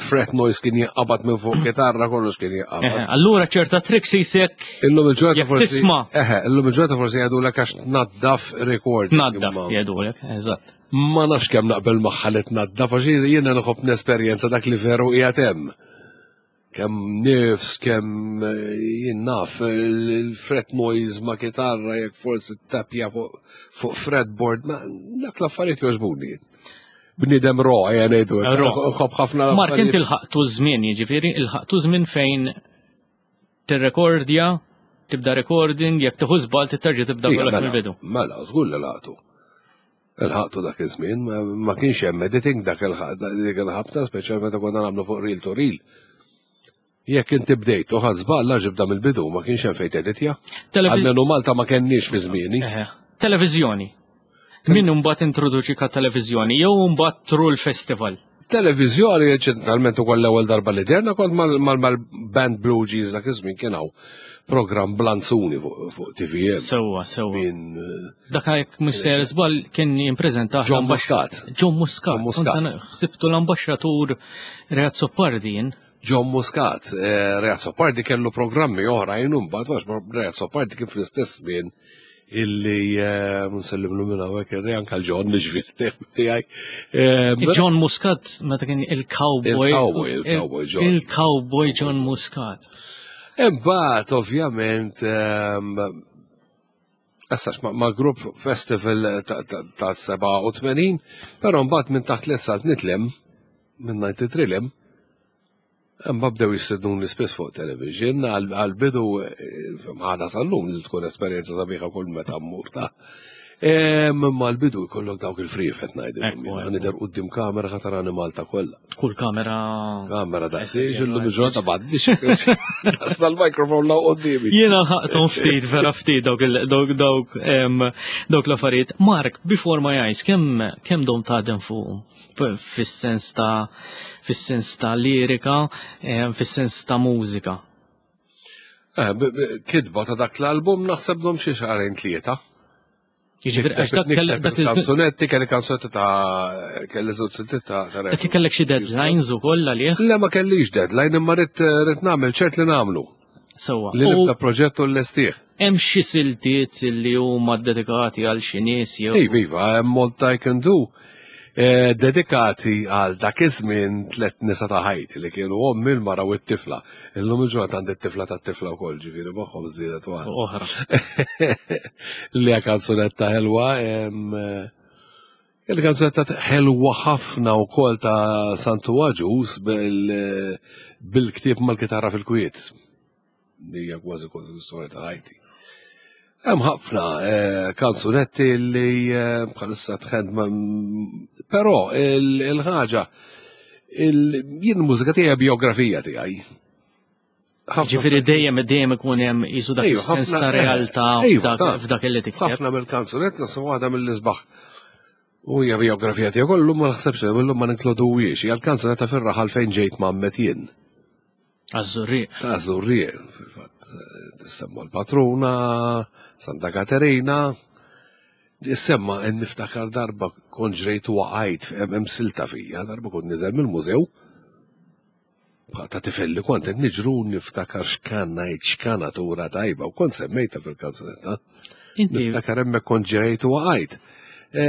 fret noise kien jinqabad minn fuq kitarra, kollox kien jinqabad. Eħe, allura ċerta tricks jisek Illum il-ġurnata jekk forsi tisma'. Eħe, illum il-ġurnata forsi jgħidulek għax tnaddaf recording. Tnaddaf, imma jgħidulek, eżatt. Ma nafx kemm naqbel magħha li tnaddaf, għax jiena nħobb nesperjenza dak li veru qiegħed hemm. Kemm nifs, kemm jien naf, il-fret noise ma' kitarra, jekk forsi tapja fuq fretboard, ma dak l-affarijiet jogħġbuni. Bniedem ro, ejja ngħidu hekk. Ro. Nħobb ħafna Mark, inti l-affarijiet. l-ħaqtu żmien, jiġifieri, il-ħaqtu żmien fejn tirrekordja, tibda recording, jekk tieħu żball titterġa' tibda Ija, kollox mela, mill-bidu. Mela, żgur li laqtu. Il-ħaqtu dak iż-żmien, ma kienx hemm editing dak dik il-ħabta, speċjalment meta konna nagħmlu fuq reel to reel. Jekk inti bdejt u ħadd żball, la ġibda mill-bidu, ma kienx hemm fejn teditja. Almenu Malta ma kenniex fi żmieni. Eħe. Televiżjoni. Min imbagħad introduċi ka televiżjoni jew imbagħad tru l-festival? Televiżjoni ċentralment ukoll l-ewwel darba li derna kont mal-band Blue Jeans dak iż-żmien kien hawn programm Blanzuni fuq TVM. Sewwa, sewwa. Min Dak jekk mhux sejjer żball kien jippreżentah John l-ambaxxa- Muscat. John Muscat. John Muscat. Kont se ħsibtu l-ambaxxatur Ray Azzopardi jien. John Muscat, Ray Azzopardi kellu programmi oħrajn u mbagħad għax Ray Azzopardi kien fl-istess żmien illi eh, nsellimlu minn hawnhekk irri anke l-John ġifieri tiegħi. Eh, John Muscat meta kien il-cowboy. Il-cowboy, il-cowboy John. Il-cowboy John Muscat. Imbagħad ovvjament ehm, Essax ma' grupp festival ta' 87, però mbagħad minn taħt li salt nitlem, minn 93 lem, Imma bdew jistednuni spiss fuq television għal-bidu eh, għada sal-lum li tkun esperjenza sabiħa kull meta mmur ta' Imma l-bidu jkollok dawk il-frifet ngħidilhom. Nidher quddiem kamera ħatarani Malta kollha. Kull kamera. Kamera daqsiex illum il-ġurnata m'għandix. Daqsna l-mikrofon law quddiemi. Jiena ħaqthom ftit vera ftit dawk dawk dawk dawk l-affarijiet. Mark, before my eyes, kemm kemm dom taħdem fuq? Fis-sens ta' fis-sens ta' lirika, fis-sens ta' mużika. Eh, kitba ta' dak l-album naħseb dom xi xahrejn tlieta. Jiġifieri għax dak kellek dak kanzunetti kelli kanzunetti ta' kelli żewġ siltiet ta' Dak kellek xi deadlines ukoll għalih? Le ma kellix deadline imma rrid nagħmel ċert li nagħmlu. Sewwa. Li nibda proġett u l-lestih. Hemm xi siltiet li huma dedikati għal xi nies jew. Iva, iva, hemm Malta I Can Do. Eh, dedikati għal dak iż-żmien tlet nisa ta' ħajti li kienu ommi l-mara u t-tifla. Illum il-ġurnata għandi t-tifla tat-tifla wkoll, ġifieri magħhom żiedet waħda. Oħra. Li hija kanzunetta ħelwa. Eh, Il-kanzunetta ħelwa ħafna wkoll ta' Santu Aġus bil-ktieb mal-kitarra fil-kwiet. Li hija kważi kważi l-istorja ta' ħajti. Hemm ħafna eh, kanzunetti li eh, bħalissa tħed però il-ħaġa jien mużika tiegħi biografija tiegħi. Ġifieri dejjem dejjem ikun hemm qisu dak is-sens ta' realtà f'dak li tikteb. Ħafna mill-kanzunetti naħseb waħda mill-isbaħ. U hija biografija tiegħu kollu ma naħsebx illum ma ninkluduwiex, hija l-kanzunetta fir-raħal fejn ġejt mammet jien. Għaż-Żurrieq. Ta' Żurrieq, fil-fatt tissemma l-patruna, Santa Katerina. Semma niftakar darba kont ġrejt u waqajt hemm silta fija, darba kont niżel mill-mużew Ta' tifel li kont qed niġru niftakar x'kan ngħid x'kanatura tajba u kont semmejta fil-kanzunetta. Niftakar hemmhekk kont ġejt u waqajt. E,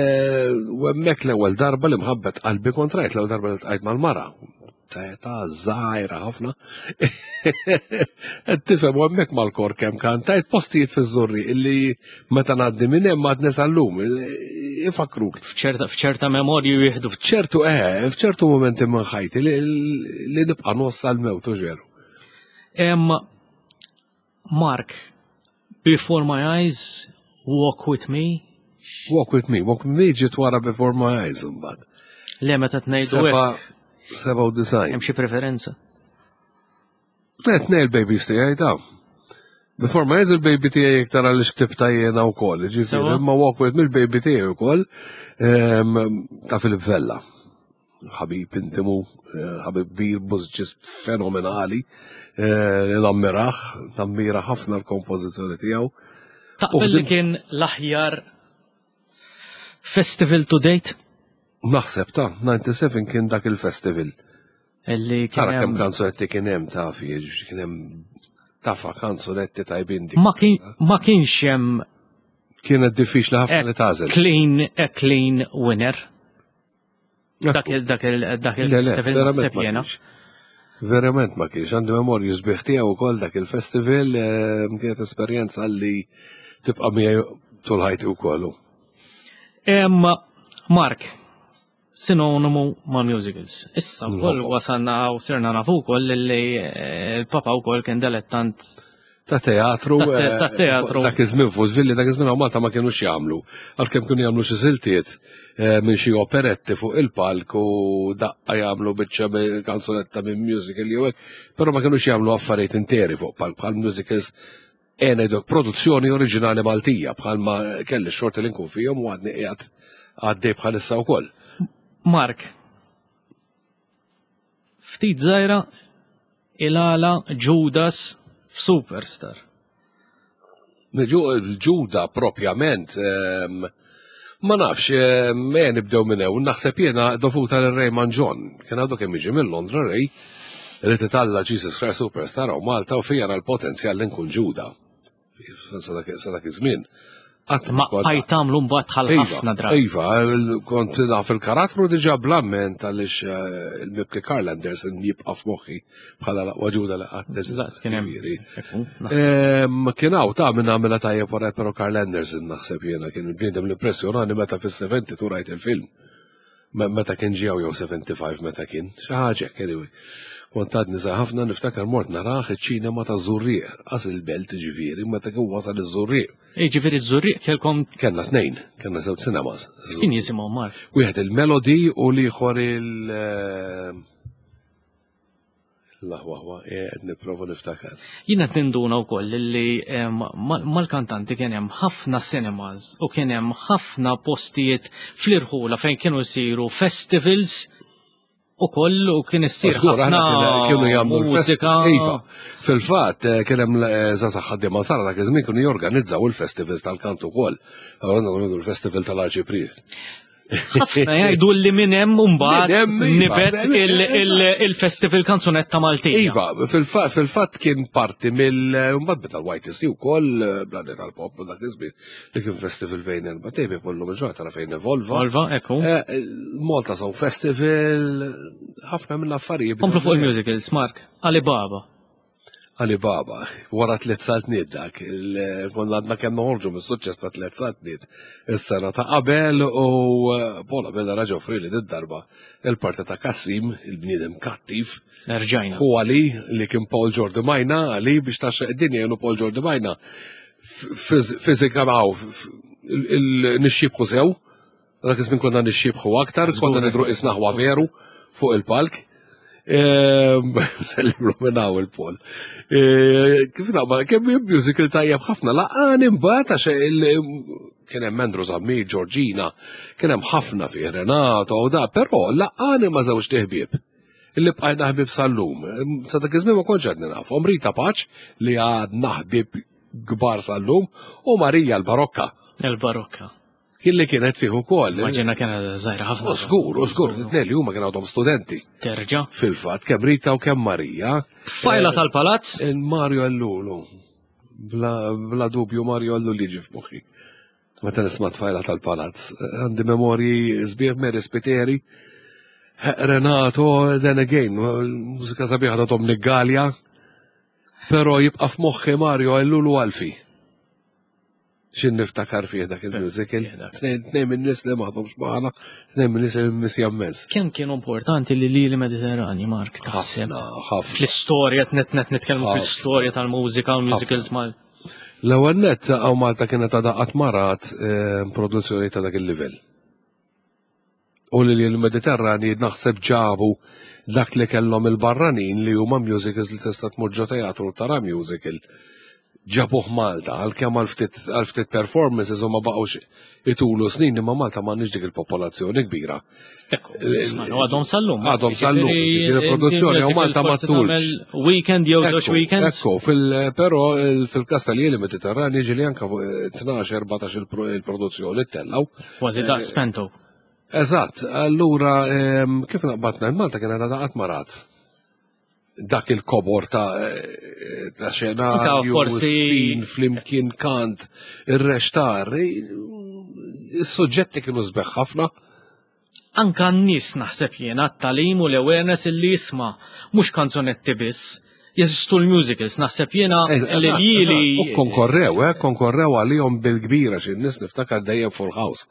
u hemmhekk l-ewwel darba li mħabbet qalbi kont rajt l-ewwel darba li tqajt mal-mara. Ta' żgħira ħafna. Qed tifhem u hemmhekk mal-kor kemm kantajt postijiet fiż-żurri illi meta ngħaddi minn hemm għadni sal-lum, ifakruk. F'ċerta memorju jieħdu. F'ċertu, eh, f'ċertu momenti minn ħajti li nibqa' nossa l-mewt u ġeru. Mark, Before My Eyes, Walk With Me. Walk With Me, Walk With Me ġiet wara Before My Eyes imbagħad. Le meta tnejdu hekk. 97. Hemm xi preferenza? Qed ngħid il-babies tiegħi ta' Before my eyes il-baby tiegħi iktar għaliex ktibta jiena wkoll, ġifieri imma walk with me il-baby tiegħi wkoll ehm, ta' Filip Vella. Ħabib intimu, eh, ħabib kbir, mużiċist fenomenali, eh, nammiraħ, nammira ħafna l-kompożizzjoni tiegħu. Taqbel li kien l-aħjar festival to date? Naħseb ta' 97 kien dak il-festival. Illi kien Ara kemm kanzunetti kien hemm ta' fi, kien hemm tafa kanzunetti tajbin dik. Ma kienx hemm Kienet diffiċli ħafna li tagħżel. Clean, a clean winner. Dak il dak il dak il-festival naħseb jiena. Verament ma kienx, għandi memorju sbieħ tiegħu wkoll dak il-festival eh, kienet esperjenza li tibqa' miegħi tul ħajti wkoll. Mark, sinonimu ma' musicals. Issa wkoll wasalna u sirna nafu wkoll li eh, l-papa wkoll kien dilettant ta' teatru. Ta' eh, teatru. Dak iż-żmien fużvilli, dak iż-żmien Malta ma kienux jagħmlu. Għalkemm kienu jagħmlu xi siltiet eh, minn xi operetti fuq il-palk u daqqa jagħmlu biċċa kanzunetta minn musical jew hekk, però ma kienux jagħmlu affarijiet interi fuq palk bħal musicals E ngħidlek produzzjoni oriġinali Maltija bħalma kelli x-xorti li nkun fihom u għadni qiegħed għaddej bħalissa wkoll. Mark, ftit żgħira il-għala Judas f'Superstar. Ġuda propjament, ehm, ma nafx, ehm, me nibdew minn hawn, naħseb jiena dovuta lil Raymond John, kien għadu kemm jiġi minn Londra Ray, Irid italla' Jesus Christ Superstar hawn Malta u fija ra l-potenzjal li nkun Ġuda. Sa dak iż-żmien. Qatt Ma bqajt tagħmlu mbagħad bħal Iva, ħafna drabi. Iva, kont naf il-karattru diġà bl-amment għaliex eh, il-mibki Karl Anderson jibqa' f'moħħi bħala l-aqwa ġuda li qatt Eżatt, kien hemm. Ġifieri. Ekku, naħseb. Ehm, Kien hawn ta' minn għamilha tajjeb wara però Karl Anderson naħseb jiena kien il-bniedem l-impressjonani meta fis-72 rajt il-film. Meta kien ġew jew 75 meta kien, xi ħaġa hekk anyway. Kont għadni żgħir ħafna niftakar mort narah iċ-ċinema ta' Żurrieq, qas il-belt ġifieri, meta kien wasal iż-Żurrieq. Jiġifieri ż-Żurrieq kellkom Kellna tnejn, kellna żewġ cinemas. kien jisimhom Mark. Wieħed il-Melody u l-ieħor il- eh, L-aħwa, eh, qed nipprova niftakar. Jiena qed ninduna wkoll li eh, mal-kantanti kien hemm ħafna cinemas u kien hemm ħafna postijiet fl-irħula fejn kienu jsiru festivals u koll u kien issir Żgur, aħna ħafna kienu jagħmlu mużika. Iva, fil-fatt eh, kien hemm żgħażagħ ħaddiema sara dak iż-żmien kienu jorganizzaw il-festivals tal-kant ukoll. Allura għandna il-festival tal-Arċipriet. Ħafna jgħidu li minn hemm mbagħad Minn hemm, iva, nibet il-festival kanzunetta Maltija. Iva, fil-fatt kien parti mill mbagħad beda l-YTC wkoll eh, bl tal-pop u dak iż-żmien li kien festival bejn erba' tejbi kollu mill-ġurnata tara fejn evolva. Volva, ekku. Eh, Malta Song Festival, ħafna mill-affarijiet. Komplu fuq il-musicals, Mark. Alibaba. Alibaba, wara tliet saltniet dak, il- konna għadna kemm noħorġu mis-suċċess ta' tliet saltniet is-sena ta' qabel u eh, Paul Abela raġa offri li darba il-parti ta' Kassim, il-bniedem kattiv, Erġajna. hu għali li kien Paul Jordi Majna, għali biex taxxa id-dinja jenu Paul Jordi Majna. Fizika għaw, nixxibħu sew, dak iż-żmien konna nixxibħu aktar, konna nidru isnaħwa veru fuq il-palk. Ehm, Sellimlu minn hawn il-Paul. Eh, Kif naqba, kemm musical tajjeb ħafna, laqani mbagħad għax kien hemm Andrew Zammit, Georgina, kien hemm ħafna fih Renato u da, però laqani ma' żewġ ħbieb illi bqajna ħbieb sal-lum. Sa dak iż-żmien ma kontx għadni nafhom. Rita Paċ li għadna ħbieb kbar sal-lum u Marija l-Barokka Il-Barokka. kien li kienet fih ukoll. Maġina kienet żgħira ħafna. U żgur, u żgur, it-tnejn li huma kienu għadhom studenti. Terġa. Fil-fatt, kemm Rita u kemm Marija. Tfajla tal-palazz. Il-Mario Ellulu. Bla, bla dubju Mario Ellul jiġi f'moħħi. Meta nisma' tfajla tal-palazz. Għandi memorji sbieħ Mary Spiteri. Renato, then again, mużika sabiħa ta' Dominic Gallia. Pero jibqa' f'moħħi Mario Ellul u Alfi. Xin niftakar fih dak il-musical. Tnejn minn nies li m'għadhomx magħna, tnejn minn nies li missja immens. Kemm kienu importanti li lili Mediterrani, Mark, taħseb? Ħafna, ħafna. Fl-istorja, net net nitkellmu Ħafna. fl-istorja tal-mużika u musicals mal. L-ewwel nett hawn Malta kienet għadha qatt ma rat eh, produzzjoni ta' dak il-livell. U li l-Mediterrani naħseb ġabu dak li kellhom il-barranin li huma musicals li tista' tmur ġo teatru tara musical. Ġabuh Malta, għalkemm għal ftit għal ftit performances u ma baqgħux itulu snin imma Malta m'għandniex dik il-popolazzjoni kbira. Ekku, isma' għadhom sal-lum. Għadhom sal-lum, jiġifieri produzzjoni u Malta ma tulx. Weekend jew żewġ Ekku, weekends. Ekku, fil, pero fil-kas tal-jeli Mediterrani ġili anka fuq 12-14 il-produzzjoni tellaw. Kważi daqs Pento. Eżatt, allura em, kif naqbatna Malta kienet għadha qatt ma rat dak il-kobor ta' eh, ta' xenarju, Anka forsi- spin, flimkien kant, ir-rextar, is-suġġetti kienu sbeħ ħafna. Anka n-nies naħseb jiena t-talim u l-awareness illi jisma' mhux kanzonetti biss. Jeżistu l-musicals, naħseb jiena li Eżatt, lili. eżatt. U konkorrew, eh, konkorrew għalihom bil-kbira xi nies niftakar dejjem full house.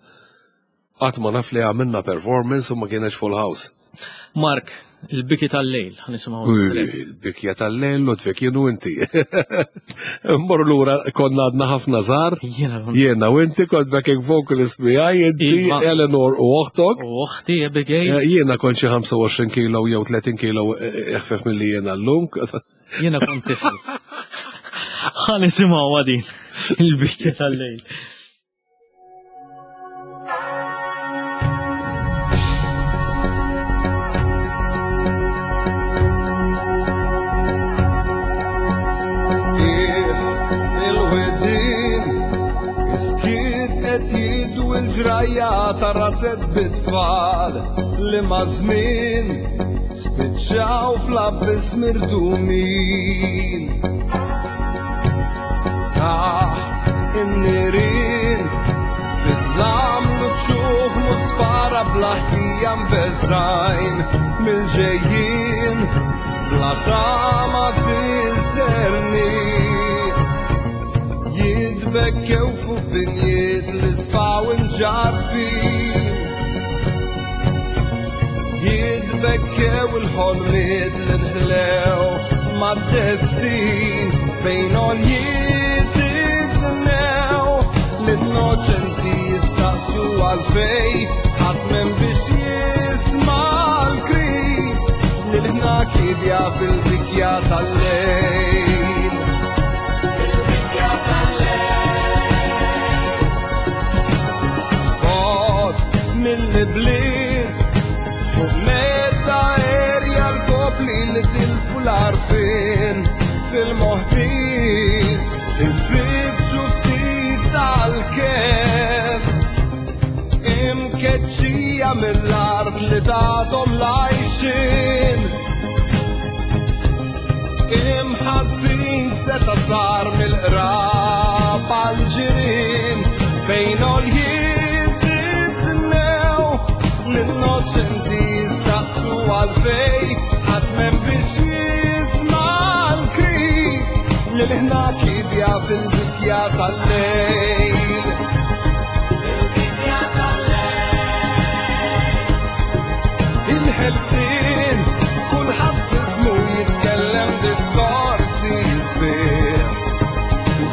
Qatt ma naf li għamilna performance u ma kienx full house. Mark, il-biki tal-lejl, ħanisimgħu. Uy, Il-bikja tal-lejl, Ludwig, jien u inti. Mmorru lura konna għadna ħafna żgħar. Jiena kont- Jiena u inti kont backing vocalist miegħi, inti Iva. Eleanor u oħtok. U oħti Abigail, Eh, Jiena kont xi 25 kilo jew 30 kilo eh, eħfef milli jiena llum. jiena kont tifel. Ħanisimgħu għadin il-biki tal-lejl. Il-wedin Iskiet qed jidwi l-ġrajja ta' razzez bit-tfal li ma' żmien spiċċaw fl-abbis mirdumin. Taħt In-nirien fid-dlam l-uċuħ musfara bla ħtija mbeżżgħin mill-ġejjien bla tama fiż-żerniq. Jitbekkew fuq binjiet li sfaw imġarrfin. Jitbekkew il-ħolmiet li nħlew mad-destin bejn għoljiet itnew l-innoċenti jistaqsu għalfej ħadd m'hemm biex jisma' l-krim li l-ħna kibja fil-bikja tal-lejl. Bot mill-bliet fuq medda erja l-popli li tilfu l-arfin fil-moħbit infittxu ftit tal-ken imkeċċija mill-art li tathom l-għajxin imħasbin seta sar mill-qrab għal-ġirien bejn għoljiet itnew l-innoċenti jistaqsu għalfej ħadd m'hemm biex jisma' l-kri li l-ħna kibja fil-bikja tal-lejl. Il-ħelsien kulħadd f'ismu jitkellem diskorsi sbieħ.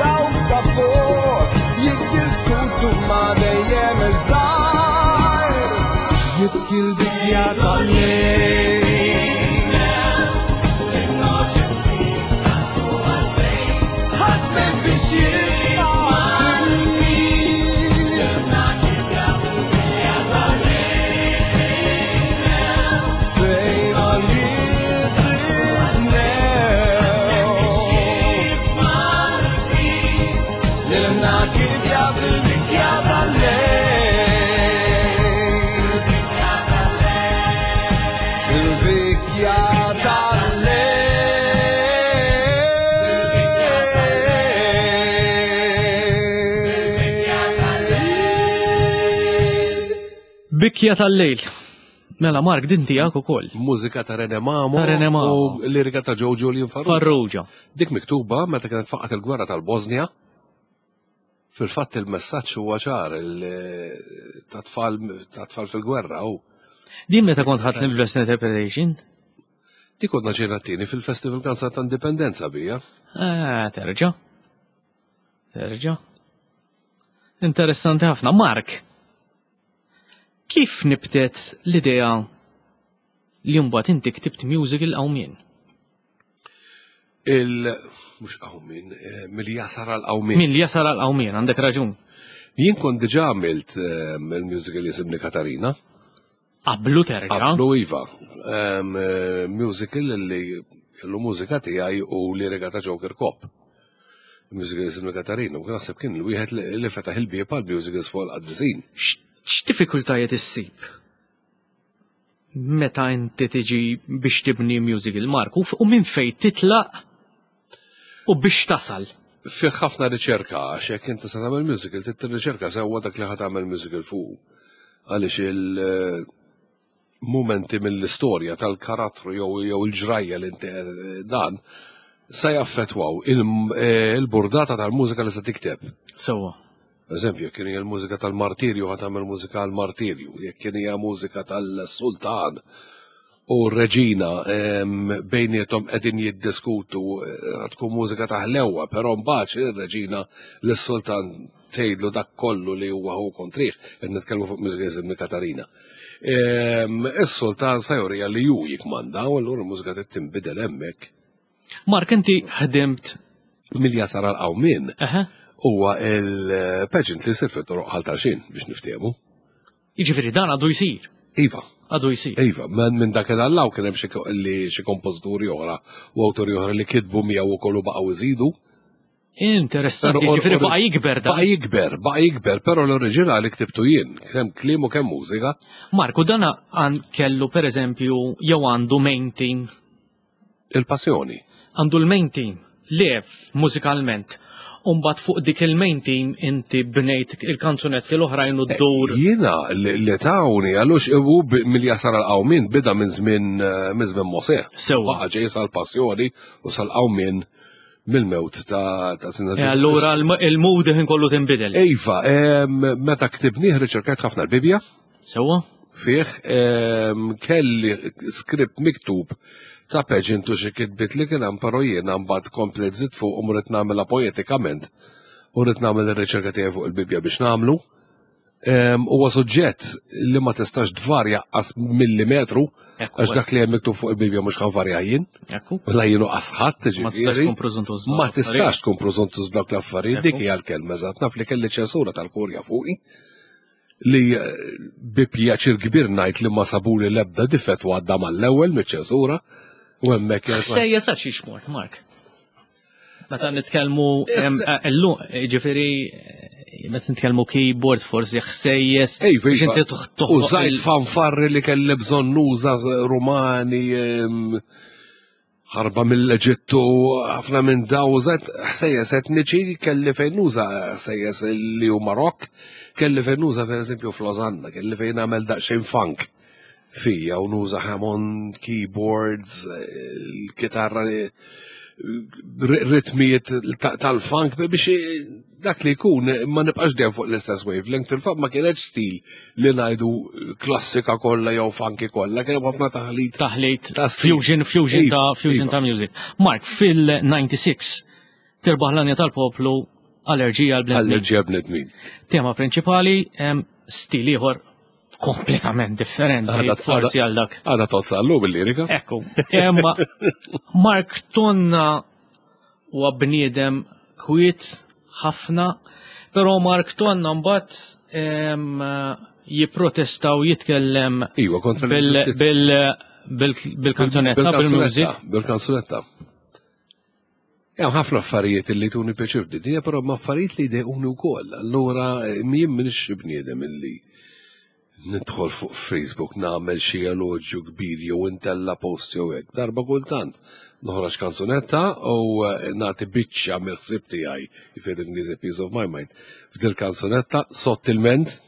Dawk ta' fuq jiddiskutu ma' dejjem iż-żgħir. Jibki l-bikja tal-lejl. Ħadd m'hemm biex jisma' Bejn għoljiet itnew Lilna kibja fil-bikja tal-lejl Fil-bikja tal-lejl. Bikja tal-lejl. Mela Mark din tiegħek ukoll. Mużika ta' Rene Mamo. Ta' Rene Mamo. U lirika ta' Joe Julian Farrugia. Farrugia. Dik miktuba meta kienet faqgħet il-gwerra tal-Bosnia. Fil-fatt il-messaġġ huwa ċar ta' tfal ta' tfal fil-gwerra u Din meta kont ħadt l-Western Interpretation? dik konna ġejna t-tieni fil-Festival Kanzat ta' Indipendenza bija. Ah, terġa. Terġa. Interessanti ħafna. Mark, kif nibtet l-idea li mbagħad inti ktibt musical qawmien? Il mhux qawmien, eh, mill-jasar għal qawmien. Min li jasal għal qawmien, għandek raġun. Jien kont diġà għamilt eh, il-musical jisimni Katarina. Qablu terġa. Qablu Iva. Eh, Musical li kellu mużika tiegħi u lirika ta' Joker Cop. Musical jisimni Katarina, u naħseb kien il-wieħed li li fetaħ il-bieb għal musicals fuq il-qaddisin. X'diffikultajiet issib? Meta inti tiġi biex tibni musical, Mark, u f- u minn fejn titlaq u biex tasal. Fih ħafna riċerka, għax jekk inti se tagħmel musical, trid tirriċerka sewwa dak li ħa tagħmel musical fuq. Għaliex il-momenti mill-istorja tal-karattru jew jew il-ġrajja li inti eh, dan se jaffettwaw il- il-burdata tal-mużika li se tikteb. Sewwa. Eżempju, jekk kien hija l-mużika tal-martirju ħa tagħmel mużika għall-martirju, jekk kien hija mużika tal-sultan u r-reġina bejniethom qegħdin jiddiskutu eh, tkun mużika ta' ħlewwa, però mbagħad ir-reġina lis-sultan tgħidlu dak kollu li huwa hu kontrih, qed nitkellmu fuq mużika jisimni Katarina. Is-sultan sa jurija li ju jikmanda u allura l-mużika trid tinbidel hemmhekk. Mark, inti ħdimt Milja sar għal-qawmien Eħe. huwa il-pageant li jsir fit-toroq Ħal Tarxien biex niftehmu. Jiġifieri dan għadu jsir. Iva, Għadu jsir. Iva, minn dak il-allaw kien hemm xi li xi kompożituri oħra u awtori oħra li kitbu miegħu wkoll u baqgħu iżidu. Interessanti, jiġifieri baqa' jikber dan. Baqa' jikber, baqa' jikber, però l-oriġinali ktibtu jien, kemm kliem u kemm mużika. Marku, dan għan kellu per eżempju jew għandu main team. Il-passjoni. Għandu l-main team. Le, mużikalment. Umbat fuq dik il-main team inti bnejt il-kanzunetti l-oħrajn u d-dur. Jiena li tawni għalux u mill-jasar għal-qawmin bida minn żmien eh, minn żmien Mosè. Sewwa. Baqa' ġej sal-passjoni u sal-qawmin mill-mewt ta' ta' Sina Eh, Allura il-mood ħin kollu tinbidel. Iva, meta ktibnih riċerkajt ħafna l-Bibja. Sewwa? Fih kelli skript miktub ta' pageant u xi kitbiet li kien hemm però jiena mbagħad komplet żidt fuq u rrid nagħmilha poetikament u rrid nagħmel ir-riċerka tiegħi fuq il-Bibbja biex nagħmlu. Huwa suġġett li ma tistax tvarja qas millimetru għax dak li hemm miktub fuq il-Bibbja mhux ħanvarja jien. La jien u qas ħadd, Ma tistax tkun preżuntuż. Ma tistax tkun preżuntuż dawk l-affarijiet, dik hija l-kelma eżatt. Naf li kelli ċensura tal-kurja fuqi li eh, bi pjaċir kbir ngħid li ma sabuli l-ebda difett u għadda mal-ewwel miċ-ċensura u hemmhekk Sejja sa xiex mort, Mark. Meta nitkellmu eh, illum, eh, ġifieri meta nitkellmu keyboard forsi ħsejjes biex inti toħloq. Użajt fanfarri li kelli bżonn nuża Rumani Ħarba mill-Eġittu, ħafna minn daw użajt ħsejjes etniċi, kelli fejn nuża ħsejjes li huma rock, kelli fejn nuża per eżempju f'Losanna, kelli fejn nagħmel daqsxejn funk fija u nuża Hammond, keyboards, il-kitarra, ritmijiet tal-funk biex dak li jkun ma nibqax dejjem fuq l-istess wavelength. Fil-fatt ma kienx stil li ngħidu klassika kollha jew funky kollha, kien hemm ħafna taħlit. Taħlit fusion, fusion ta' fusion ta' music. Mark, fil-96 tirbaħ l-anja tal-poplu allerġija għal bnedmin. Allerġija bnedmin. Tema prinċipali stil ieħor kompletament differenti forsi għal dak. Għada tozza għallu bil-lirika. Ekku. Imma Mark Tonna huwa bniedem kwiet ħafna, però Mark Tonna mbagħad jipprotesta u jitkellem Iva, kontra bil-kanzunetta, bil-music. Bil-kanzunetta. Hemm ħafna affarijiet li tuni pjaċir f'dinja, però ma affarijiet li jdejquni wkoll. Allura jien m'iniex bniedem illi nidħol fuq Facebook nagħmel xi eloġju kbir jew intella post jew hekk. Darba kultant noħroġ kanzunetta u eh, nagħti biċċa mill-ħsieb tiegħi, jifed Ingliż piece of my mind, f'dil kanzunetta sottilment,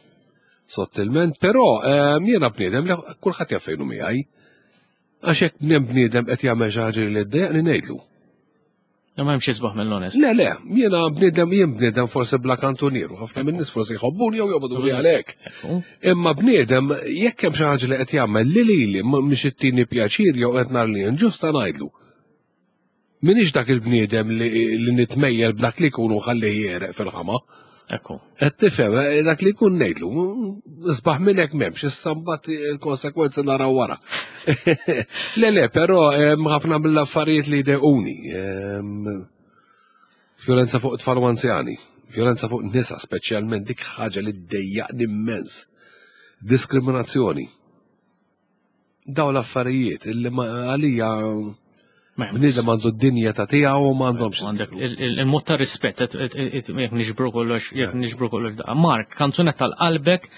sottilment, però eh, jiena bniedem li kulħadd jaf fejnu miegħi. Għax hekk bniedem qed jagħmel xi ħaġa li ddejjaqni ngħidlu. Ma hemmx isbaħ mill-onest. Le, le, jiena bniedem jien bniedem forsi bla kantunieru, ħafna minn nies forsi jħobbuni jew jobogħdu li għalhekk. Imma bniedem jekk hemm xi ħaġa li qed jagħmel li lili mhix ittini pjaċir jew qed nar li inġusta ngħidlu. Minix dak il-bniedem li nitmejjel b'dak li jkunu ħalli jereq fil-ħama. Ekku. Qed tifhem, eh, dak li jkun ngħidlu, isbaħ minn hekk m'hemmx, issa mbagħad il-konsekwenzi naraw wara. Le le, però ħafna mill-affarijiet li jdejquni. Violenza fuq tfal u anzjani, violenza fuq nisa speċjalment dik ħaġa li ddejjaqni immens. Diskriminazzjoni. Daw l-affarijiet illi għalija bniedem għandu d-dinja ta' tiegħu u m'għandhomx. Għandek il-mod ta' rispett, jekk niġbru kollox, jekk niġbru kollox. Mark, kanzunetta tal-qalbek,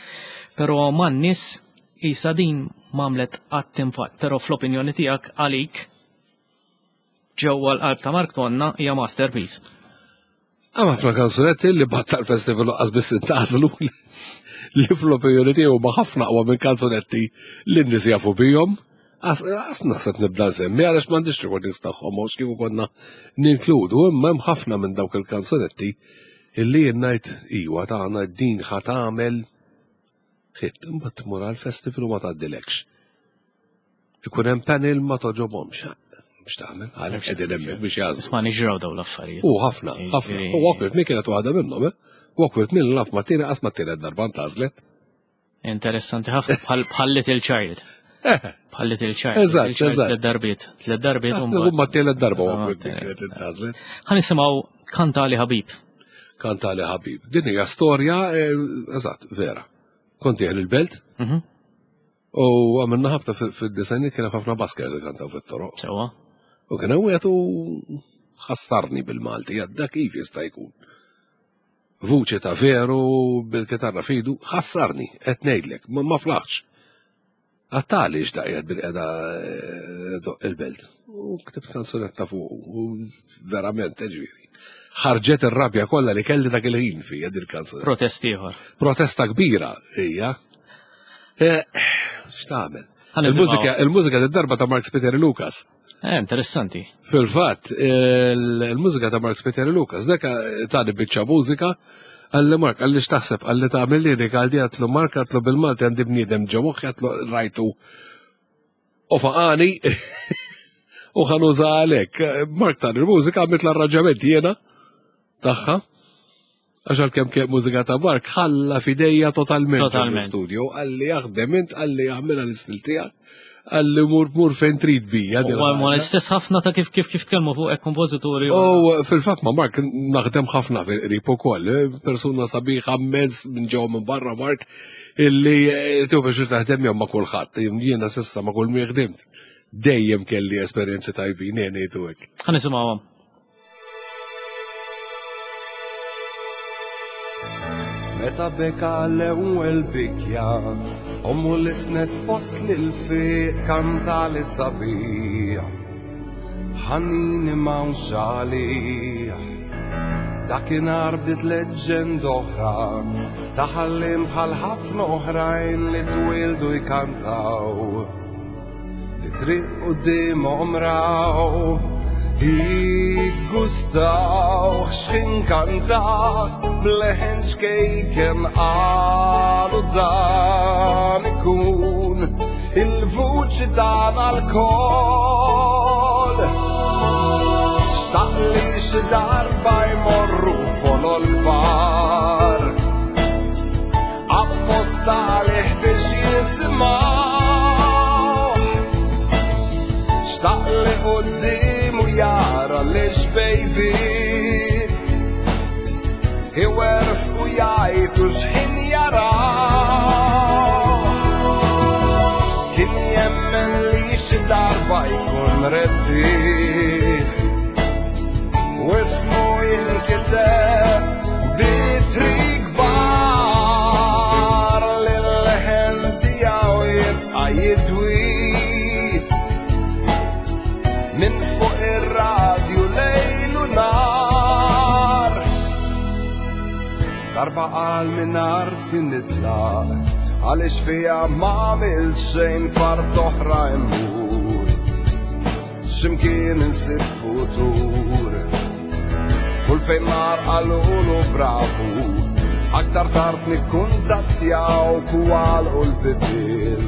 però man-nies isa din m'għamlet qatt impatt, però fl-opinjoni tiegħek għalik ġewwa l-qalb ta' Mark Tonna hija masterpiece. Hemm ħafna kanzunetti li bat tal-festival qas biss intażlu li fl-opinjoni tiegħu ma ħafna aqwa minn kanzunetti li n-nies jafu bihom. As naħseb nibda nsemmi għaliex m'għandix recordings tagħhom għax kieku konna ninkludu, imma hemm ħafna minn dawk il-kanzunetti illi jien ngħid iwa tagħna din ħa tagħmel hit, imbagħad tmur għall-festival u ma tgħaddilekx. Ikun hemm panel ma toġobhomx. Biex tagħmel, għalhekk qegħdin hemmhekk biex jażlu. Isma' niġraw dawn l-affarijiet. U ħafna, ħafna. U Walk With Me kienet waħda minnhom, eh? Walk With Me naf ma tieni qas ma tielet darba ntgħażlet. Interessanti ħafna bħal Little Child. Eh. Bħal Little Child. Eżatt, eżatt. Tliet darbiet, tliet darbiet. U ma tielet darba Walk With Me kienet intgħażlet. Ħa nisimgħu Kantali Ħabib. Kantali Ħabib. Din hija storja, eh, eżatt, vera. Kont dieħel il-belt, mhm. U għamilna ħabta fid-disajniet kien ħafna baskers kantaw fit-toroq. Sewa. U kien hemm wieħed u ħassarni bil-Malti, għadda kif jista' jkun. Vuċi ta' veru bil-kitarra fidu, ħassarni, qed ngħidlek, ma flaħx. Għattali x'daqqiet bil-qeda eh, doq il-belt. U ktibt kanzunetta fuq u verament eh, ġifieri. Ħarġet ir-rabja kollha li kelli dak il-ħin fija din il-kanzunetta. Protest ieħor. Protesta kbira hija. Eh, x'tagħmel? Il-mużika il-mużika darba ta' Mark Peter Lucas. Eh, interessanti. Fil-fatt, il-mużika ta' Mark Peter Lucas, dak tani biċċa mużika, għalli Mark, għalli x'taħseb, għalli tagħmel lirika għaldi għatlu Mark għatlu bil-Malti għandi bniedem ġo moħħi għatlu rajtu u faqani u ħanuża għalek. Mark tani l-mużika għamilt l-arranġament jiena tagħha. Għax għalkemm kien mużika ta' Mark ħalla fidejja totalment Totalment. studio għalli jaħdem int, għalli jagħmilha l-istil tiegħek, għalli mur mur fejn trid bija. din U ma il-ħaġa. l-istess ħafna ta' kif kif kif tkellmu fuq hekk kompożituri. U fil-fatt ma' Mark naħdem ħafna fil-qrib ukoll, eh, persuna sabiħa mezz minn ġew minn barra Mark illi eh, tiegħu biex taħdem jew ma' kulħadd, jiena s'issa ma' kull min ħdimt. Dejjem kelli esperjenzi tajbin, jien ngħidu hekk. Ħa nisimgħuhom. Meta beka l-ewwel bikja, ommu lisnet fost l-fiq kanta li sabiħ. Ħanini m'hawnx għalih. Dakinhar bdiet leġġend oħra, ta' ħallim bħal ħafna oħrajn li twildu jkantaw. Li triq quddiemhom raw Jiggustaw x'ħin kanta bleħen xkejken qalu dan ikun il-vuċi tagħna lkoll. Xtaq li xi darba jmorru folol kbar apposta għalih biex jismaw. Xtaq li quddiemu jara li xbejbit Iwers u jgħidu x'ħin jaraw. Kien jemmen li xi darba jkun rebbieħ u ismu jinkiteb bitri kbar li l-leħen tiegħu jibqa' jidwi minn fuq ir-radju lejl u nar. Darba qal minn arti nitlaq għaliex fija ma għamilt xejn fart oħra immur. X'imkien insib futur. Kull fejn mar qalulu bravu, aktar tard nikkuntattjaw u għalqu l-bibien.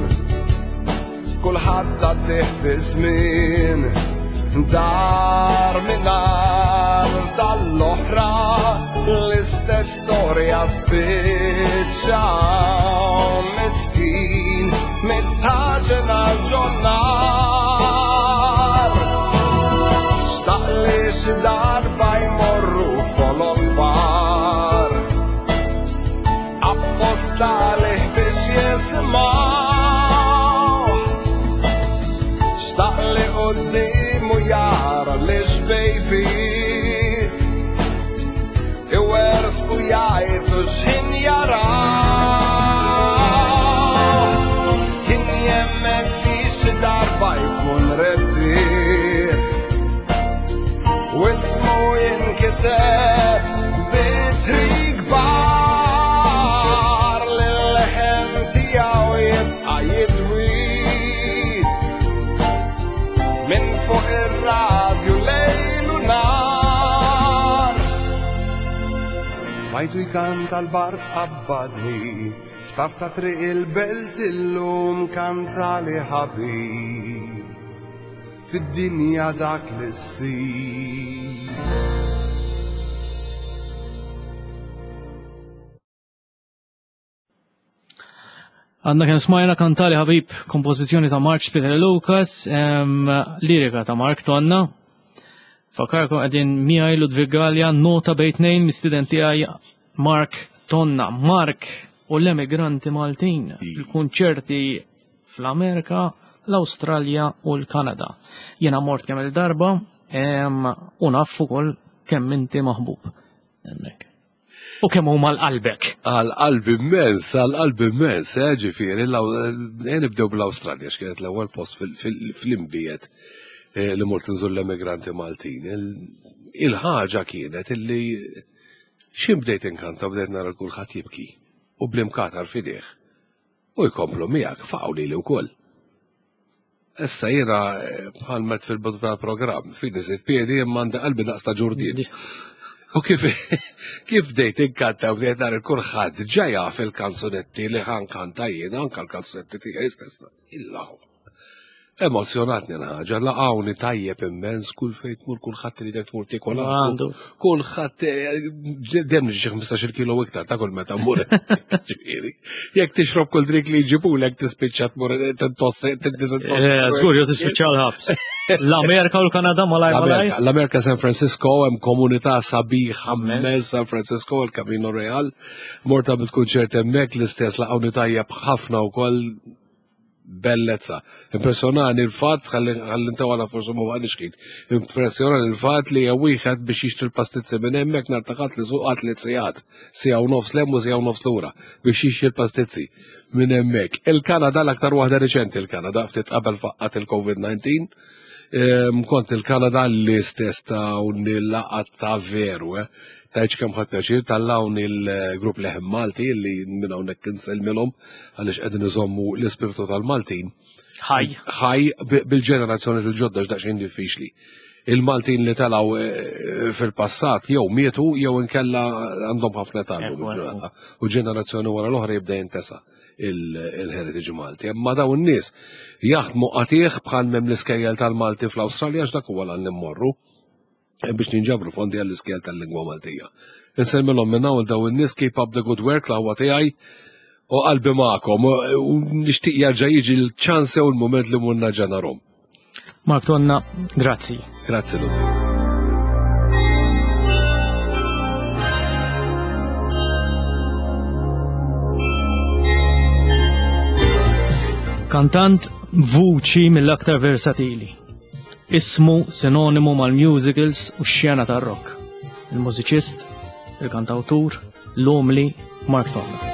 Kulħadd għaddih fi żmien, dar minn nar tal-oħra, l-istess storja spiċċaw miskin mit-taġen għal ġonnar. Xtaq li xi darba jmorru folol kbar apposta għalih biex jismaw. Xtaq li quddiemu jara li xbejbit iwers u jgħidu x'ħin jaraw. Kien jemmen li xi darba jkun rebbieħ u ismu jinkiteb bitri kbar li l-leħen tiegħu jibqa' jidwi minn fuq ir-radju lejl u nar. Smajtu jkanta l-bar qabbadni, f'taf ta' triq il-belt illum kanta li ħabib fid-dinja dak li ssib. Għandna kien smajna kantali ħabib kompożizzjoni ta' Mark Peter Lucas, lirika ta' Mark Tonna. Fakarkom qegħdin miegħi Ludwig Gallia, nota bejn tnejn mistiden tiegħi Mark Tonna. Mark u l-emigranti Maltin, il-kunċerti fl-Amerika, l-Awstralja u l-Kanada. Jiena mort kemm il-darba u naf ukoll kemm inti maħbub hemmhekk. U kemm huma l-qalbek? Għal qalbi immens, għal qalbi immens, eh, ġifieri, eh, nibdew bl-Awstralja x'kienet l-ewwel post fl-imbiet eh, li mort nżur l-emigranti Maltin. Il-ħaġa kienet illi xi bdejt inkanta bdejt nara kulħadd jibki u bl-imkatar fideh. U jkomplu miegħek faqgħu lili wkoll. Issa jiena eh, bħal met fil-bidu tal-programm, fin iżid piedi imma għandi qalbi daqs ta' ġurdien. U kif kif bdejt inkanta u bdejt nara kulħadd ġa jaf il-kanzunetti li ħankanta jiena anke l-kanzunetti tiegħi stess. Illa Emozjonatni l-ħaġa, laqawni tajjeb immens, kull fejn tmur kulħadd li tmur tiekol għandu. Kulħadd eh, dem xi 15 kilo iktar ta' kull meta mmur. Ġifieri, jekk tixrob kull drik li jġibulek tispiċċa tmur eh, tintossi, tintisintossi. Eh, żgur jew tispiċċa l-ħabs. L-Amerika u l-Kanada malaj malaj. L-Amerika San Francisco hemm komunità sabiħa immens San Francisco, il-Camino Real. Morta bil-kunċert hemmhekk l-istess laqawni tajjeb ħafna wkoll bellezza. Impressjonani l-fatt, ħalli ntewala forsi ma baqgħniex kien. Impressjonani l-fatt li jew wieħed biex jixtri l-pastizzi minn hemmhekk nhar ta' ħadd li suqat li sigħat, siegħa u nofs lem u siegħa u nofs lura biex jixtri l-pastizzi minn hemmhekk. Il-Kanada l-aktar waħda riċenti il-Kanada ftit qabel faqqat il-COVID-19. Ehm, kont il-Kanada l-istess ta' laqat ta' veru, eh. Tajċ kemm ħadd pjaċir tal-hawn il-grupp Leħen Malti li minn hawnhekk insellmilhom għaliex qegħdin iżommu l-ispirtu tal-Maltin. Ħaj. Ħaj bil-ġenerazzjoni il-ġodda x'daqsxejn diffiċli. Il-Maltin li telgħu eh, fil-passat jew mietu jew inkella għandhom ħafna tallu u ġenerazzjoni wara l-oħra jibda jintesa il-heritage Malti. Imma dawn in-nies jaħdmu qatih bħal mem l-iskejjel tal-Malti fl-Awstralja x'dak huwa l immorru biex ninġabru fondi għall-iskejjel tal-lingwa Maltija. Insellmilhom minn hawn daw in-nies keep up the good work l-aqwa tiegħi u qalbi magħkom u nixtieq jerġa' jiġi l-ċans u l-mument li mur nerġa' narhom. Mark Tonna, grazzi. Grazzi Luther. Kantant vuċi mill-aktar versatili. Ismu sinonimu mal-musicals u x-xena tar-rock. Il-mużiċist, il-kantawtur, l-umli Mark Tonna.